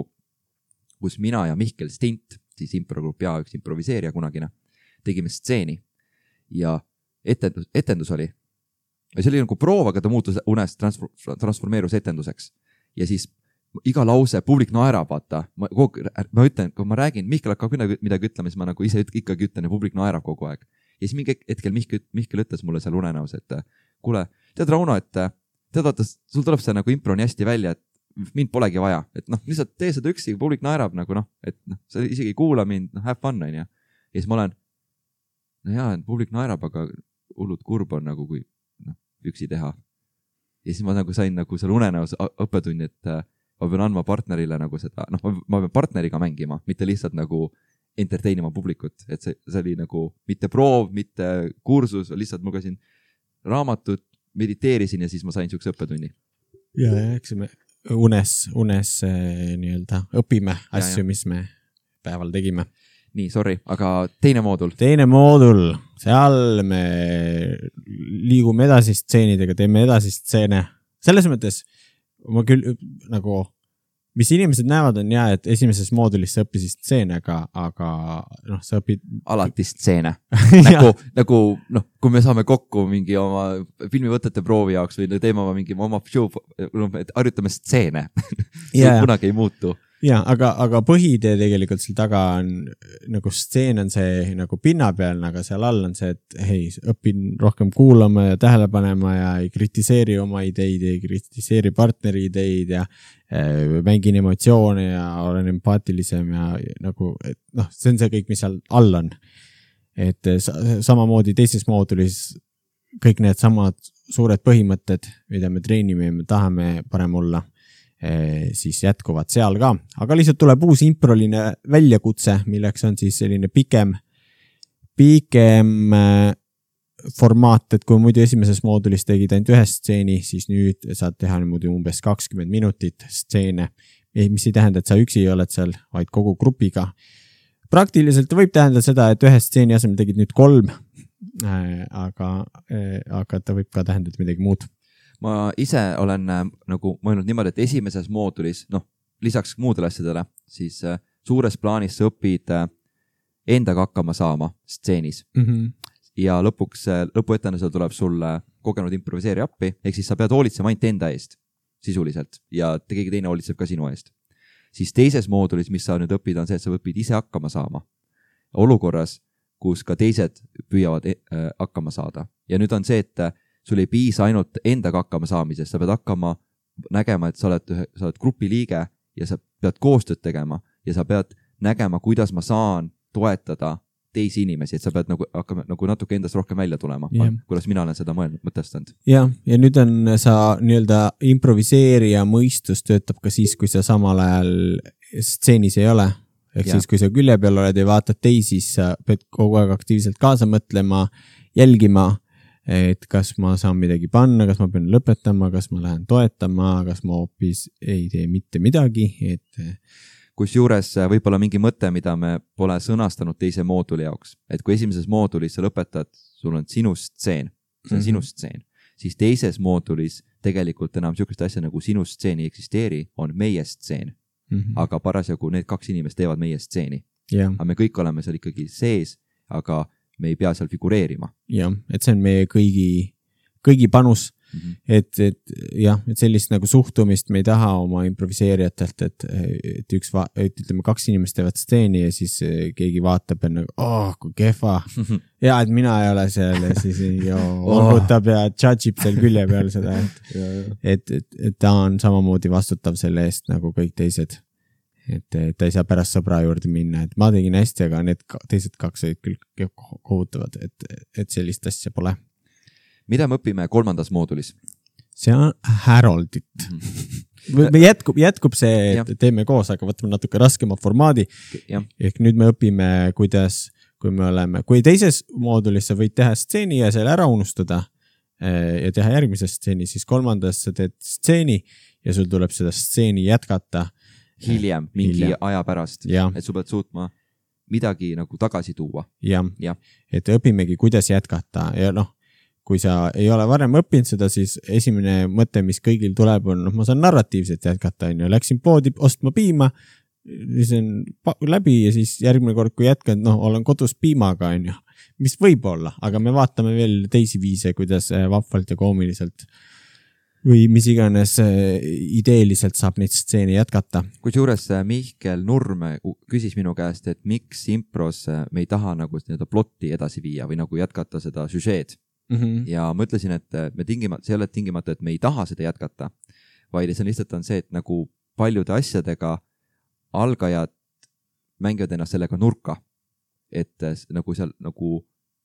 kus mina ja Mihkel Stint, siis improgrupp ja üks improviseerija kunagine, tegime stseeni ja etendus, etendus oli. Ja see oli nagu proov, aga ta muutus unes transformeerus etenduseks. Ja siis iga lause, publik naerab, vaata. Ma, ma ütlen, kui ma räägin, Mihkel hakkab midagi ütlema, siis ma nagu ise ikkagi ütlen ja publik naerab kogu aeg. Ja siis mingi hetkel Mihkel, Mihkel ütles mulle seal unenäos, et kuule, tead Rauno, et tead vaata, sul tuleb see nagu impro nii hästi välja, et mind polegi vaja, et noh, lihtsalt tee seda üksi, publik naerab nagu noh, et noh, sa isegi ei kuula mind, noh, have fun, on ja. Ja siis ma olen, no jaa, publik naerab, aga hullud kurb on nagu, kui noh, üksi teha. Ja siis ma nagu sain nagu seal unenäos õppetunni, et ma pean andma partnerile nagu seda, noh, ma pean partneriga mängima, mitte lihtsalt nagu entertainima publikut, et see, see oli nagu mitte proov, mitte kursus, lihtsalt lugesin raamatut, mediteerisin ja siis ma sain siukse õppetunni. Ja, ja, eks me unes, unes nii-öelda õpime asju, mis me päeval tegime. Nii, sorry, aga teine moodul. Teine moodul, seal me liigume edasi stseenidega, teeme edasi stseene. Selles mõttes ma küll nagu, mis inimesed näevad on jah, et esimeses moodulis sa õppisid stseene, aga, aga noh, sa õpid... Alati stseene. nagu, nagu, noh, kui me saame kokku mingi oma filmivõtete proovi jaoks või teeme oma mingi oma show, et harjutame stseene. See kunagi ei muutu. ja, aga, aga põhitee tegelikult seal taga on nagu stseen on see nagu pinnapealne, aga seal all on see, et hei, õpin rohkem kuulama ja tähele panema ja ei kritiseeri oma ideid, ei kritiseeri partneri ideid ja äh, mängin emotsioone ja olen empaatilisem ja nagu, et noh, see on see kõik, mis seal all on. Et samamoodi teises moodulis kõik need samad suured põhimõtted, mida me treenime ja me tahame parem olla, siis jätkuvad seal ka, aga lihtsalt tuleb uus improline väljakutse, milleks on siis selline pikem, pikem formaat, et kui muidu esimeses moodulis tegid ainult ühe stseeni, siis nüüd saad teha niimoodi umbes kakskümmend minutit stseene, mis ei tähenda, et sa üksi ei oled seal, vaid kogu grupiga. Praktiliselt võib tähendada seda, et ühe stseeni asemel tegid nüüd kolm, aga, aga ta võib ka tähendada midagi muud. Ma ise olen äh, nagu mõelnud niimoodi, et esimeses moodulis, noh, lisaks muudele asjadele, siis äh, suures plaanis sa õpid äh, endaga hakkama saama stseenis. Mm-hmm. Ja lõpuks, äh, lõpuetendusel tuleb sulle kogenud improviseeri appi, ehk siis sa pead hoolitsema ainult enda eest sisuliselt ja keegi teine hoolitseb ka sinu eest. Siis teises moodulis, mis sa nüüd õpid, on see, et sa õpid ise hakkama saama. Olukorras, kus ka teised püüavad äh, hakkama saada. Ja nüüd on see, et sul ei piisa ainult endaga hakkama saamisest, sa pead hakkama nägema, et sa oled, sa oled grupi liige ja sa pead koostööd tegema ja sa pead nägema, kuidas ma saan toetada teisi inimesi, et sa pead nagu, hakkama, nagu natuke endast rohkem välja tulema, yeah. Kuidas mina olen seda mõelnud, mõtestanud. Ja, ja nüüd on sa nii-öelda improviseerija mõistus töötab ka siis, kui sa samal ajal stseenis ei ole. Ehk yeah. Siis, kui sa külje peal oled ja vaatad teisi, siis sa pead kogu aeg aktiivselt kaasa mõtlema, jälgima, et kas ma saan midagi panna, kas ma pean lõpetama, kas ma lähen toetama, kas ma hoopis ei tee mitte midagi, et kus juures võib-olla mingi mõte, mida me pole sõnastanud teise mooduli jaoks, et kui esimeses moodulis sa lõpetad, sul on sinu stseen, see on mm-hmm. sinu stseen, siis teises moodulis tegelikult enam niisugust asja nagu sinu stseen ei eksisteeri, on meie stseen, mm-hmm. aga parasjagu need kaks inimest teevad meie stseeni. Yeah. Aga me kõik oleme seal ikkagi sees, aga me ei pea seal figureerima. Jah, et see on meie kõigi, kõigi panus, mm-hmm. et, et jah, et sellist nagu suhtumist me ei taha oma improviseerijatelt, et, et üks, va- et ütleme, kaks inimest teevad stseeni ja siis keegi vaatab ja nagu, oh, kui kehva. Ja, et mina ei ole seal ja siis olgutab ja judge'ib seal külje peal seda, et, et, et, et ta on samamoodi vastutav selle eest nagu kõik teised. Et ta ei saa pärast sõbra juurde minna, et ma tegin hästi, aga need teised kaks olid küll kohutavad, et, et sellist asja pole. Mida me õpime kolmandas moodulis? See on Haroldit. Mm-hmm. jätkub, jätkub see, et teeme koos, aga võtame natuke raskema formaadi. Ja. Ehk nüüd me õpime, kuidas, kui me oleme, kui teises moodulis sa võid teha stseeni ja selle ära unustada ja teha järgmise stseeni, siis kolmandas sa teed stseeni ja sul tuleb seda stseeni jätkata hiljem, mingi hiljem. Aja pärast, ja. Et sa pead suutma midagi nagu tagasi tuua. Jah, ja. Et õpimegi, kuidas jätkata ja noh, kui sa ei ole varem õppinud seda, siis esimene mõte, mis kõigil tuleb, on, noh, ma saan narratiivselt jätkata, on ju, läksin poodi ostma piima, siis on läbi ja siis järgmine kord, kui jätkan, noh, olen kodus piimaga, on ju, mis võib olla, aga me vaatame veel teisi viise, kuidas vahvalt ja koomiliselt või mis iganes ideeliselt saab neid stseeni jätkata. Kusjuures Mihkel Nurme küsis minu käest, et miks impros me ei taha nagu nii-öelda plotti edasi viia või nagu jätkata seda süžeed. Mm-hmm. Ja ma ütlesin, et me tingimata, see ei ole tingimata, et me ei taha seda jätkata, vaid see on lihtsalt on see, et nagu paljude asjadega algajad mängivad ennast sellega nurka, et nagu seal nagu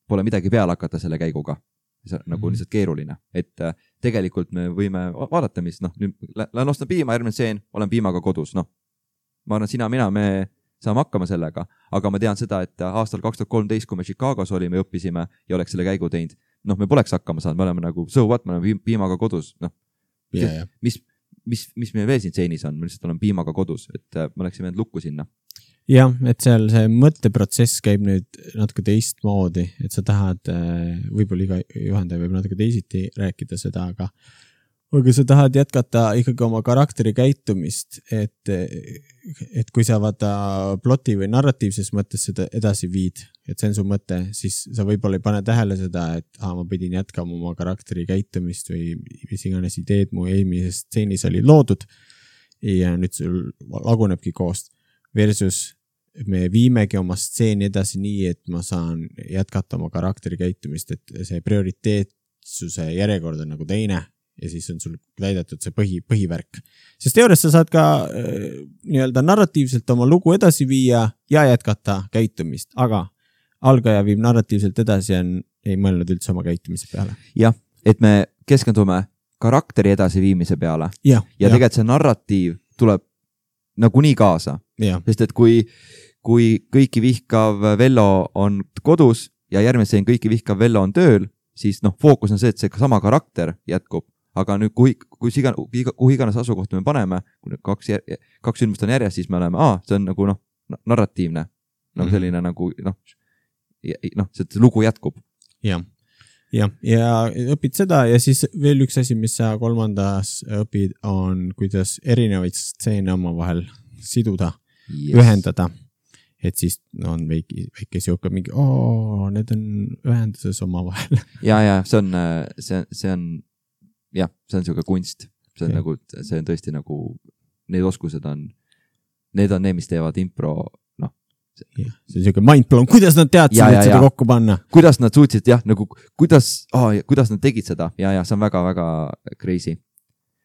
pole midagi peale hakata selle käiguga. See on nagu lihtsalt keeruline, et tegelikult me võime vaadata, mis, noh, nüüd lähen ostan piima, järgmine seen, olen piimaga kodus, noh, ma arvan, sina, mina, me saame hakkama sellega, aga ma tean seda, et aastal kaks tuhat kolmteist, kui me Chicagos olime, õppisime ja oleks selle käigu teinud, noh, me poleks hakkama saanud, me oleme nagu, so what, me oleme piimaga kodus, noh, yeah, yeah. mis, mis, mis meie veel siin seenis on, me lihtsalt oleme piimaga kodus, et me oleksime end lukku sinna. Jah, et seal see mõtteprotsess käib nüüd natuke teistmoodi, et sa tahad, võib-olla iga juhendaja võib natuke teisiti rääkida seda, aga, aga sa tahad jätkata ikkagi oma karakteri käitumist, et, et kui sa vaata ploti või narratiivses mõttes seda edasi viid, et see on su mõte, siis sa võib-olla ei pane tähele seda, et ah, ma pidin jätkama oma karakteri käitumist või mis iganes ideed mu eelmises stseenis oli loodud. ja nüüd sul lagunebki koost versus me viimegi oma stseeni edasi nii, et ma saan jätkata oma karakteri käitumist, et see prioriteetsuse järjekord on nagu teine ja siis on sul täidetud see põhi, põhivärk. Sest teoorias sa saad ka äh, nii-öelda narratiivselt oma lugu edasi viia ja jätkata käitumist, aga algaja viib narratiivselt edasi ja ei mõelnud üldse oma käitumise peale. Jah, et me keskendume karakteri edasiviimise peale ja, ja, ja tegelikult see narratiiv tuleb nagunii kaasa. Ja. Sest et kui, kui kõiki vihkav Vello on kodus ja järgmine seen kõiki vihkav Vello on tööl, siis noh, fookus on see, et see sama karakter jätkub. Aga nüüd, kui, kui iga, kuhu iganes asukohta me paneme, kui kaks, kaks sündmust on järjest, siis me oleme, aa, see on nagu noh, narratiivne. Nagu mm-hmm. selline nagu noh, noh, see lugu jätkub. Jah, ja, ja õpid seda ja siis veel üks asi, mis sa kolmandas õpid, on kuidas erinevaid stseene oma vahel siduda, yes. ühendada. Et siis on väike, väike siuke mingi, oo, need on ühenduses oma vahel. Ja, ja, see on, see, see on, jah, see on siuke kunst. See on, nagu, see on tõesti nagu, need oskused on, need on need, mis teevad impro, noh. Ja, see on siuke mindblown, kuidas nad teadsid, et seda kokku panna? Kuidas nad suutsid, jah, nagu, kuidas, oh, kuidas nad tegid seda? Ja, ja, see on väga, väga crazy.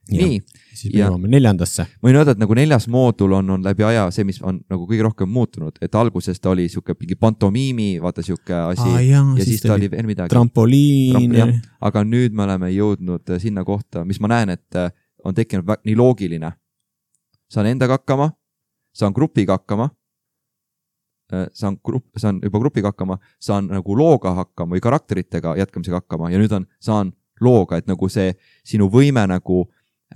Ja, nii. Siis me jõuame neljandasse. Ma võin öelda, et nagu neljas moodul on, on läbi aja see, mis on nagu kõige rohkem muutunud, et alguses ta oli siuke mingi pantomiimi, vaata siuke asi ah, jah, ja siis, siis ta oli veel midagi. Trampoliin. Tramp, aga nüüd me oleme jõudnud sinna kohta, mis ma näen, et on tekkinud nii loogiline. Saan endaga hakkama, saan grupiga hakkama, saan, grupp, saan juba grupiga hakkama, saan nagu looga hakkama või karakteritega jätkamisega hakkama ja nüüd on, saan looga, et nagu see sinu võime nagu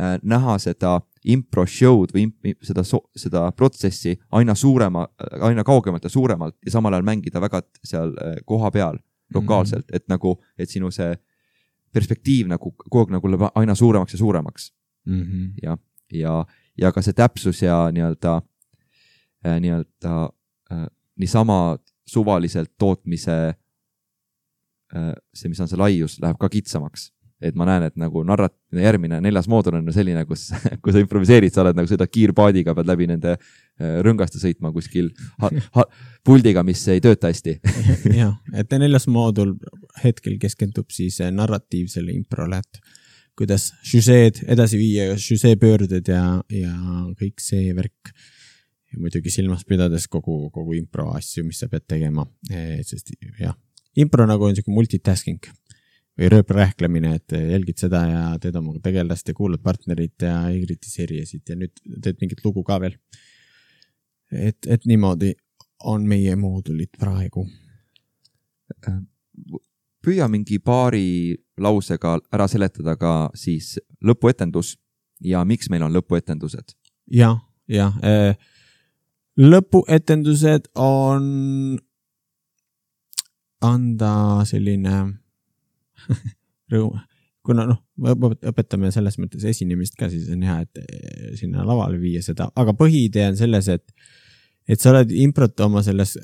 näha seda impro show'd või imp, seda, seda protsessi aina suurema, aina kaugemalt ja suuremalt ja samal ajal mängida väga seal koha peal lokaalselt, mm-hmm. et nagu, et sinu see perspektiiv nagu kogu nagu läheb aina suuremaks ja suuremaks. Mm-hmm. Ja, ja, ja ka see täpsus ja nii-öelda, nii-öelda niisama suvaliselt tootmise see, mis on see laius, läheb ka kitsamaks. Et ma näen, et nagu narrat, järgmine neljas moodul on selline, kus, kus sa improviseerid, sa oled nagu sõida kiirpaadiga, pead läbi nende rõngaste sõitma kuskil ha, ha, puldiga, mis ei tööta hästi. Jah, et neljas moodul hetkel keskendub siis narratiivsele improle, et kuidas žüseed edasi viia, žüsee pöörded ja, ja kõik see värk. Ja muidugi silmas pidades kogu, kogu impro asju, mis sa pead tegema. Sest jah, impro nagu on selline multitasking või rööprähklemine, et jälgid seda ja teed oma tegelast ja kuulad partnerit ja ei kritiseerijasid ja nüüd teed mingit lugu ka veel. Et, et niimoodi on meie moodulid praegu. Püüa mingi paari lausega ära seletada ka siis lõpuetendus ja miks meil on lõpuetendused? Ja, ja. Lõpuetendused on anda selline rõõm, kuna noh, õpetame selles mõttes esinemist ka, siis on hea, et sinna lavale viia seda, aga põhiidee on selles, et, et sa oled improt oma selles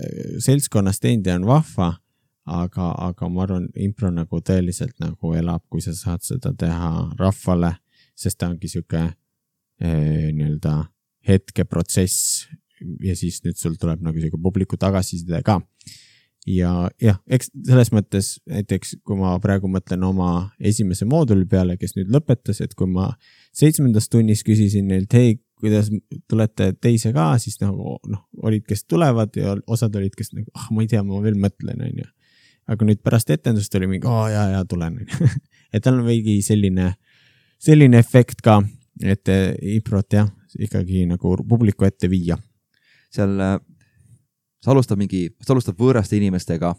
seltskonnas teinud ja on vahva, aga, aga ma arvan, impro nagu tõeliselt nagu elab, kui sa saad seda teha rahvale, sest ta ongi siuke eh, nii-öelda hetkeprotsess ja siis nüüd sul tuleb nagu siuke publiku tagasiside ka. Ja jah, eks selles mõttes näiteks, kui ma praegu mõtlen oma esimese mooduli peale, kes nüüd lõpetas, et kui ma seitsmendas tunnis küsisin neilt, hei, kuidas tulete teise ka, siis nagu noh, olid, kes tulevad ja osad olid, kes nagu, ah, ma ei tea, ma veel mõtlen, on ju. Aga nüüd pärast etendust oli mingi, aa, jaa, jaa, tulen. Et tal on veidi selline, selline efekt ka, et improt jah, ikkagi nagu publiku ette viia. Seal sa alustad mingi, sa alustad võõraste inimestega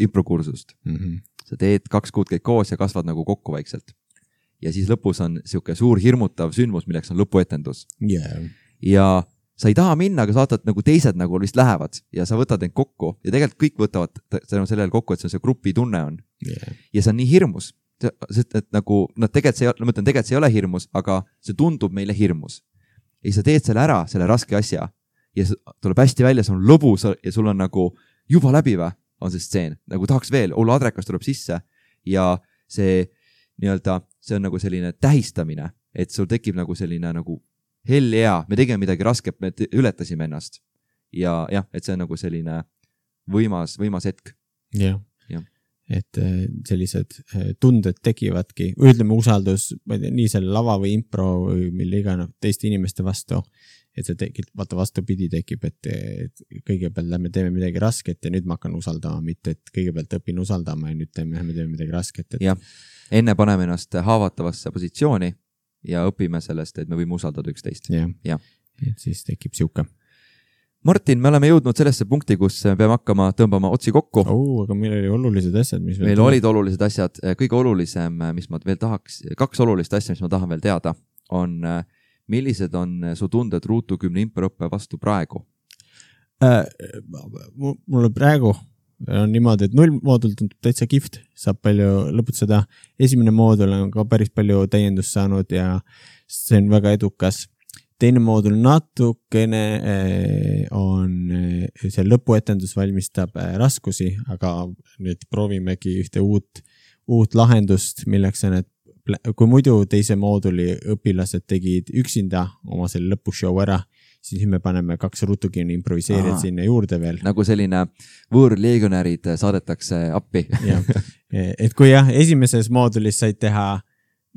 improkursust. Mm-hmm. Sa teed kaks kuud käid koos ja kasvad nagu kokku vaikselt. Ja siis lõpus on siuke suur hirmutav sündmus, milleks on lõpuetendus. Yeah. Ja sa ei taha minna, aga saatad nagu teised nagu vist lähevad ja sa võtad end kokku ja tegelikult kõik võtavad sellel kokku, et see on see grupi tunne on. Yeah. Ja see on nii hirmus. Sest, et nagu, no tegelikult see, no mõtlen, tegelikult see ei ole hirmus, aga see tundub meile hirmus. Ja sa teed selle ära, selle raske asja. Ja tuleb hästi välja, see on lõbus ja sul on nagu juba läbiva on see stseen. Nagu tahaks veel, Ulla Adrekas tuleb sisse ja see nii-öelda, see on nagu selline tähistamine, et sul tekib nagu selline nagu hell yeah, me tegime midagi rasket, me ületasime ennast. Ja jah, et see on nagu selline võimas, võimas hetk. Jah, ja. Et sellised tunded tekivadki, ütleme usaldus, ma ei tea, nii selle lava või impro või mille iga no, teiste inimeste vastu, et see tekib, vaata vastupidi tekib, et, et kõigepealt lähme teeme midagi rasket ja nüüd ma hakkan usaldama, mitte et kõigepealt õpin usaldama ja nüüd teeme, teeme midagi rasket. Et... jah, enne paneme ennast haavatavasse positsiooni ja õpime sellest, et me võime usaldada üksteist. Jah, ja. Et siis tekib siuke. Martin, me oleme jõudnud sellesse punkti, kus peame hakkama tõmbama otsi kokku. Oh, aga meil oli olulised asjad, mis meil olid olulised asjad. Kõige olulisem, mis ma veel tahaks, kaks olulist asja, mis ma tahan veel teada, on millised on su tunded Ruutu kümne improõppe vastu praegu? Äh, mulle praegu on niimoodi, et null moodul tundub täitsa kihvt, saab palju lõputseda. Esimene moodul on ka päris palju täiendust saanud ja see on väga edukas. Teine moodul natukene on, see lõpuetendus valmistab raskusi, aga nüüd proovimegi ühte uut, uut lahendust, milleks on, et kui muidu teise mooduli õpilased tegid üksinda oma selle lõpushow ära, siis me paneme kaks rutukini improviseerijad sinna juurde veel. Nagu selline võõrleegionärid saadetakse appi. Ja, et kui jah, esimeses moodulis said teha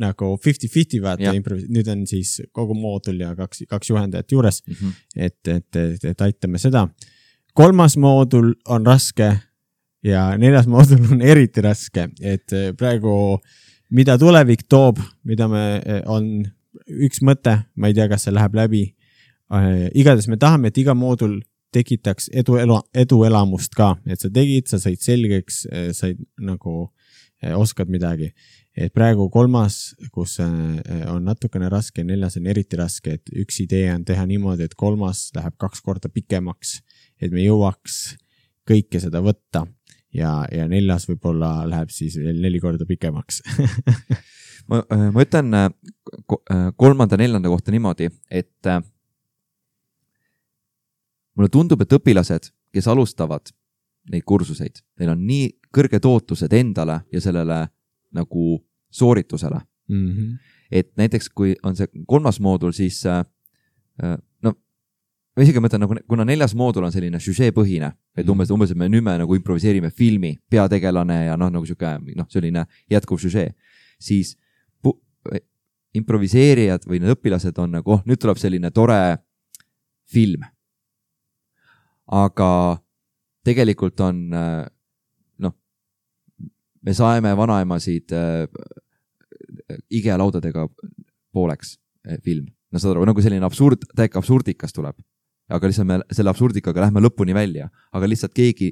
nagu fifty fifty vaata, nüüd on siis kogu moodul ja kaks, kaks juhendajat juures, mm -hmm. et, et, et, et aitame seda. Kolmas moodul on raske ja neljas moodul on eriti raske, et praegu mida tulevik toob, mida me on üks mõte, ma ei tea, kas see läheb läbi. Igades me tahame, et iga moodul tekitaks edu, elu, edu elamust ka, et sa tegid, sa said selgeks, said nagu oskad midagi. Et praegu kolmas, kus on natukene raske, neljas on eriti raske, et üks idee on teha niimoodi, et kolmas läheb kaks korda pikemaks, et me jõuaks kõike seda võtta ja, ja neljas võib-olla läheb siis veel neli korda pikemaks. ma, ma ütlen kolmanda, neljanda kohta niimoodi, et mulle tundub, et õpilased, kes alustavad neid kursuseid, neil on nii kõrged ootused endale ja sellele nagu sooritusele. Mm-hmm. Et näiteks kui on see kolmas moodul, siis no ma isegi mõtlen, nagu, kuna neljas moodul on selline žüžeepõhine, et umbes, umbes et me nüüd me nagu improviseerime filmi, peategelane ja noh, nagu siuke, noh, selline jätkuv žüžee, siis pu-, improviseerijad või need õpilased on nagu, oh, nüüd tuleb selline tore film. Aga tegelikult on noh, me saime vanaemasid äh, igelaudadega pooleks äh, film. No saad aru, nagu selline absurd, täiega absurdikas tuleb. Aga lihtsalt me selle absurdikaga lähme lõpuni välja. Aga lihtsalt keegi,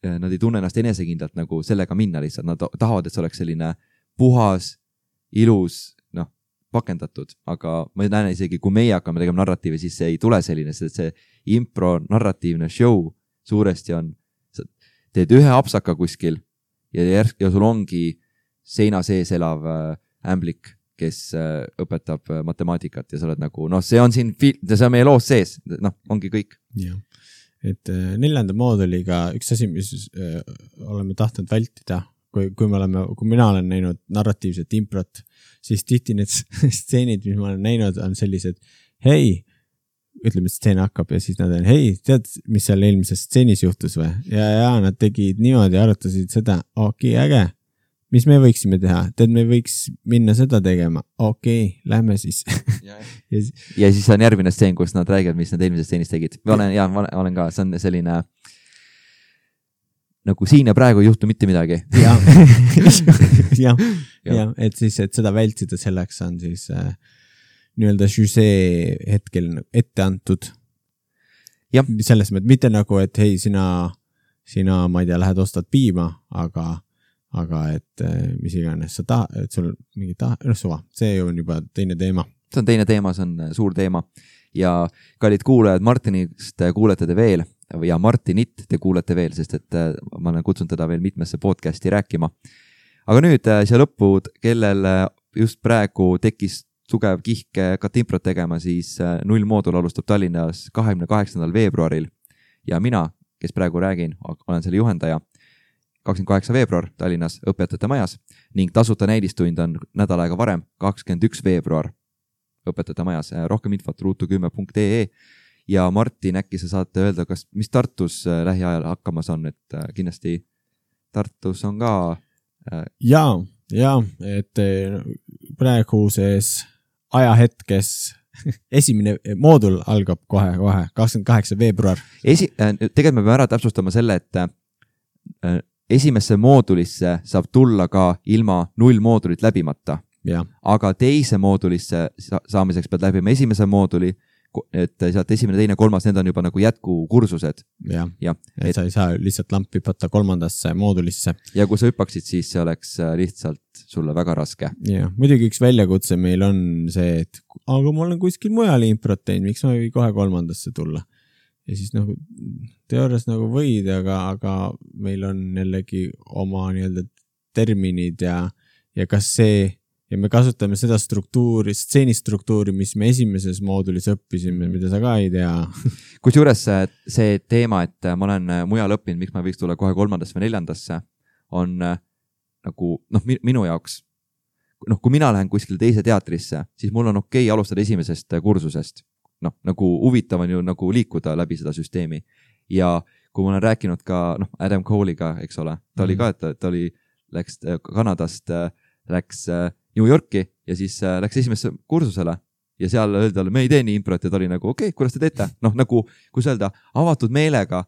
nad ei tunne ennast enesekindlalt nagu sellega minna lihtsalt. Nad tahavad, et see oleks selline puhas, ilus, noh, pakendatud. Aga ma näen isegi, kui meie hakkame tegema narratiivi, siis see ei tule selline, sest see impro narratiivne show suuresti on, sa teed ühe apsaka kuskil ja, järsk, ja sul ongi seina sees elav äh, ämblik, kes äh, õpetab äh, matemaatikat ja sa oled nagu, noh, see on siin, see on meie loos sees, noh, ongi kõik. Jah, et äh, neljanda mooduliga üks asi, mis äh, oleme tahtnud vältida, kui, kui, me oleme, kui mina olen näinud narratiivset improt, siis tihti need stseenid, mis ma olen näinud, on sellised, hei, ütleme, et stseen hakkab ja siis nad on, hei, tead, mis seal eelmises stseenis juhtus või? Ja, ja nad tegid niimoodi, arutasid seda, okei, okay, äge, mis me võiksime teha? Tead, me võiks minna seda tegema. Okei, okay, lähme siis. ja, ja, ja siis on järgmine stseen, kus nad räägivad, mis nad eelmises stseenis tegid. Ma olen, ja, ma olen ka, see on selline nagu siin ja praegu ei juhtu mitte midagi. ja, ja, ja, et siis, et seda vältida selleks on siis äh, nii-öelda žüžee hetkel ette antud. Ja. Selles mõttes mitte nagu, et hei, sina, sina, ma ei tea, lähed ostad piima, aga, aga et mis iganes sa tahad, et sul mingi tahad, noh suva, see on juba teine teema. See on teine teema, see on suur teema. Ja kallid kuulajad, Martinist kuulete te veel ja Martinit te kuulete veel, sest et ma olen kutsunud teda veel mitmesse podcasti rääkima. Aga nüüd siia lõppu, kellel just praegu tekkis tugev kihk katimprot tegema, siis null moodul alustab Tallinnas kahekümne kaheksandal veebruaril ja mina, kes praegu räägin, olen selle juhendaja, kakskümmend kaheksa veebruar Tallinnas õpetajate majas ning tasuta näidistund on nädal aega varem, kakskümmend üks veebruar õpetajate majas. Rohkem infot ruutu kümme punkt ee ja Martin, äkki sa saate öelda, kas, mis Tartus lähiajal hakkamas on, et kindlasti Tartus on ka... Jaa, jaa, et praeguses ajahetkes esimene moodul algab kohe, kohe, kakskümmend kaheksa veebruar. Esi, tegelikult me peame ära täpsustama selle, et esimesse moodulisse saab tulla ka ilma null moodulit läbimata. Ja. Aga teise moodulisse saamiseks pead läbima esimese mooduli, et sealt esimene, teine, kolmas, need on juba nagu jätkukursused. Ja, ja et, et sa ei saa lihtsalt lampi võtta kolmandasse moodulisse. Ja kui sa hüppaksid, siis see oleks lihtsalt sulle väga raske. Ja, muidugi üks väljakutse meil on see, et aga ma olen kuskil mujal improt teinud, miks ma ei või kohe kolmandasse tulla. Ja siis nagu teoorias nagu võid, aga, aga meil on jällegi oma nii-öelda terminid ja, ja kas see ja me kasutame seda struktuuri, stseenistruktuuri, mis me esimeses moodulis õppisime, mida sa ka ei tea. Kusjuures see teema, et ma olen mujal õppinud, miks ma võiks tulla kohe kolmandasse või neljandasse, on nagu, noh, minu jaoks, noh, kui mina lähen kuskil teise teatrisse, siis mul on okei alustada esimesest kursusest. Noh, nagu huvitav on ju nagu liikuda läbi seda süsteemi. Ja kui ma olen rääkinud ka, noh, Adam Cole'iga, eks ole, ta mm-hmm. oli ka, et ta oli, läks Kanadast, läks New Yorki ja siis läks esimesse kursusele ja seal öeldi talle, me ei tee nii improt ja ta oli nagu, okei, okay, kuidas te teete? Noh, nagu, kui öelda, avatud meelega,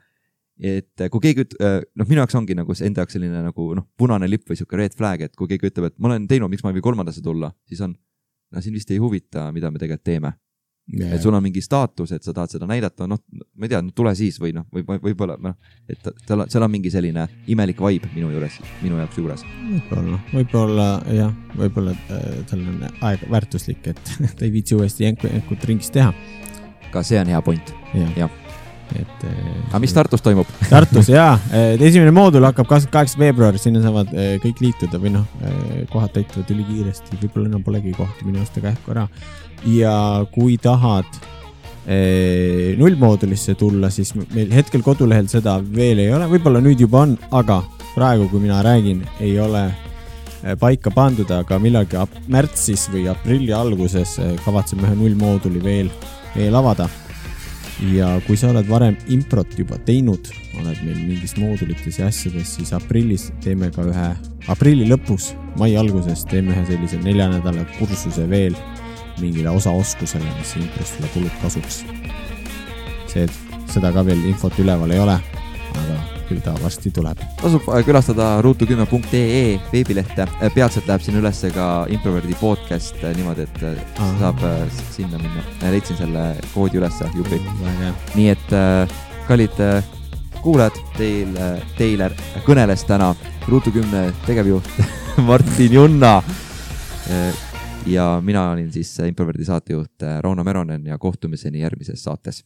et kui keegi, noh, minu jaoks ongi nagu enda jaoks selline nagu, noh, punane lipp või siuke red flag, et kui keegi ütleb, et ma olen teinud, miks ma ei või kolmandasse tulla, siis on, no siin vist ei huvita, mida me tegelikult teeme. Yeah. Et sul on mingi staatus, et sa tahad seda näidata, noh, ma ei tea, no tule siis või noh, või, või, võib-olla, noh, et seal, seal on mingi selline imelik vibe minu juures, minu jaoks juures. Võib-olla, võib-olla, jah, võib-olla tal on aeg väärtuslik, et ta ei viitsi uuesti jänkut ringis teha. Ka see on hea point. Ja. Ja. Et, aga mis Tartus toimub? Tartus, jaa. Esimene moodul hakkab kakskümmend kaheksa veebruar, sinna saavad kõik liituda või noh, kohad täituvad üli kiiresti, võib-olla enam polegi kohti minu aasta kähku ära. Ja kui tahad eh, nullmoodulisse tulla, siis meil hetkel kodulehel seda veel ei ole, võib-olla nüüd juba on, aga praegu, kui mina räägin, ei ole paika pandud, aga millalgi märtsis või aprilli alguses kavatseme ühe nullmooduli veel, veel avada. Ja kui sa oled varem improt juba teinud, oled meil mingis moodulites ja asjades, siis aprillis teeme ka ühe, aprilli lõpus, mai alguses teeme ühe sellise nelja nädala kursuse veel mingile osaoskusele, mis improst sulle kulub kasuks. See, seda ka veel infot üleval ei ole, aga küll ta varsti tuleb. Tasub külastada ruutu kümme punkt ee veebilehte. Peatselt läheb siin üles ka Improverdi podcast niimoodi, et Aha. saab sinna minna. Leidsin selle koodi üles, jupi. Nii et kallid kuulajad, teil, teile kõneles täna ruutu kümne tegevjuht Martin Junna. Ja mina olin siis Improverdi saatejuht Rauno Meronen ja kohtumiseni järgmises saates.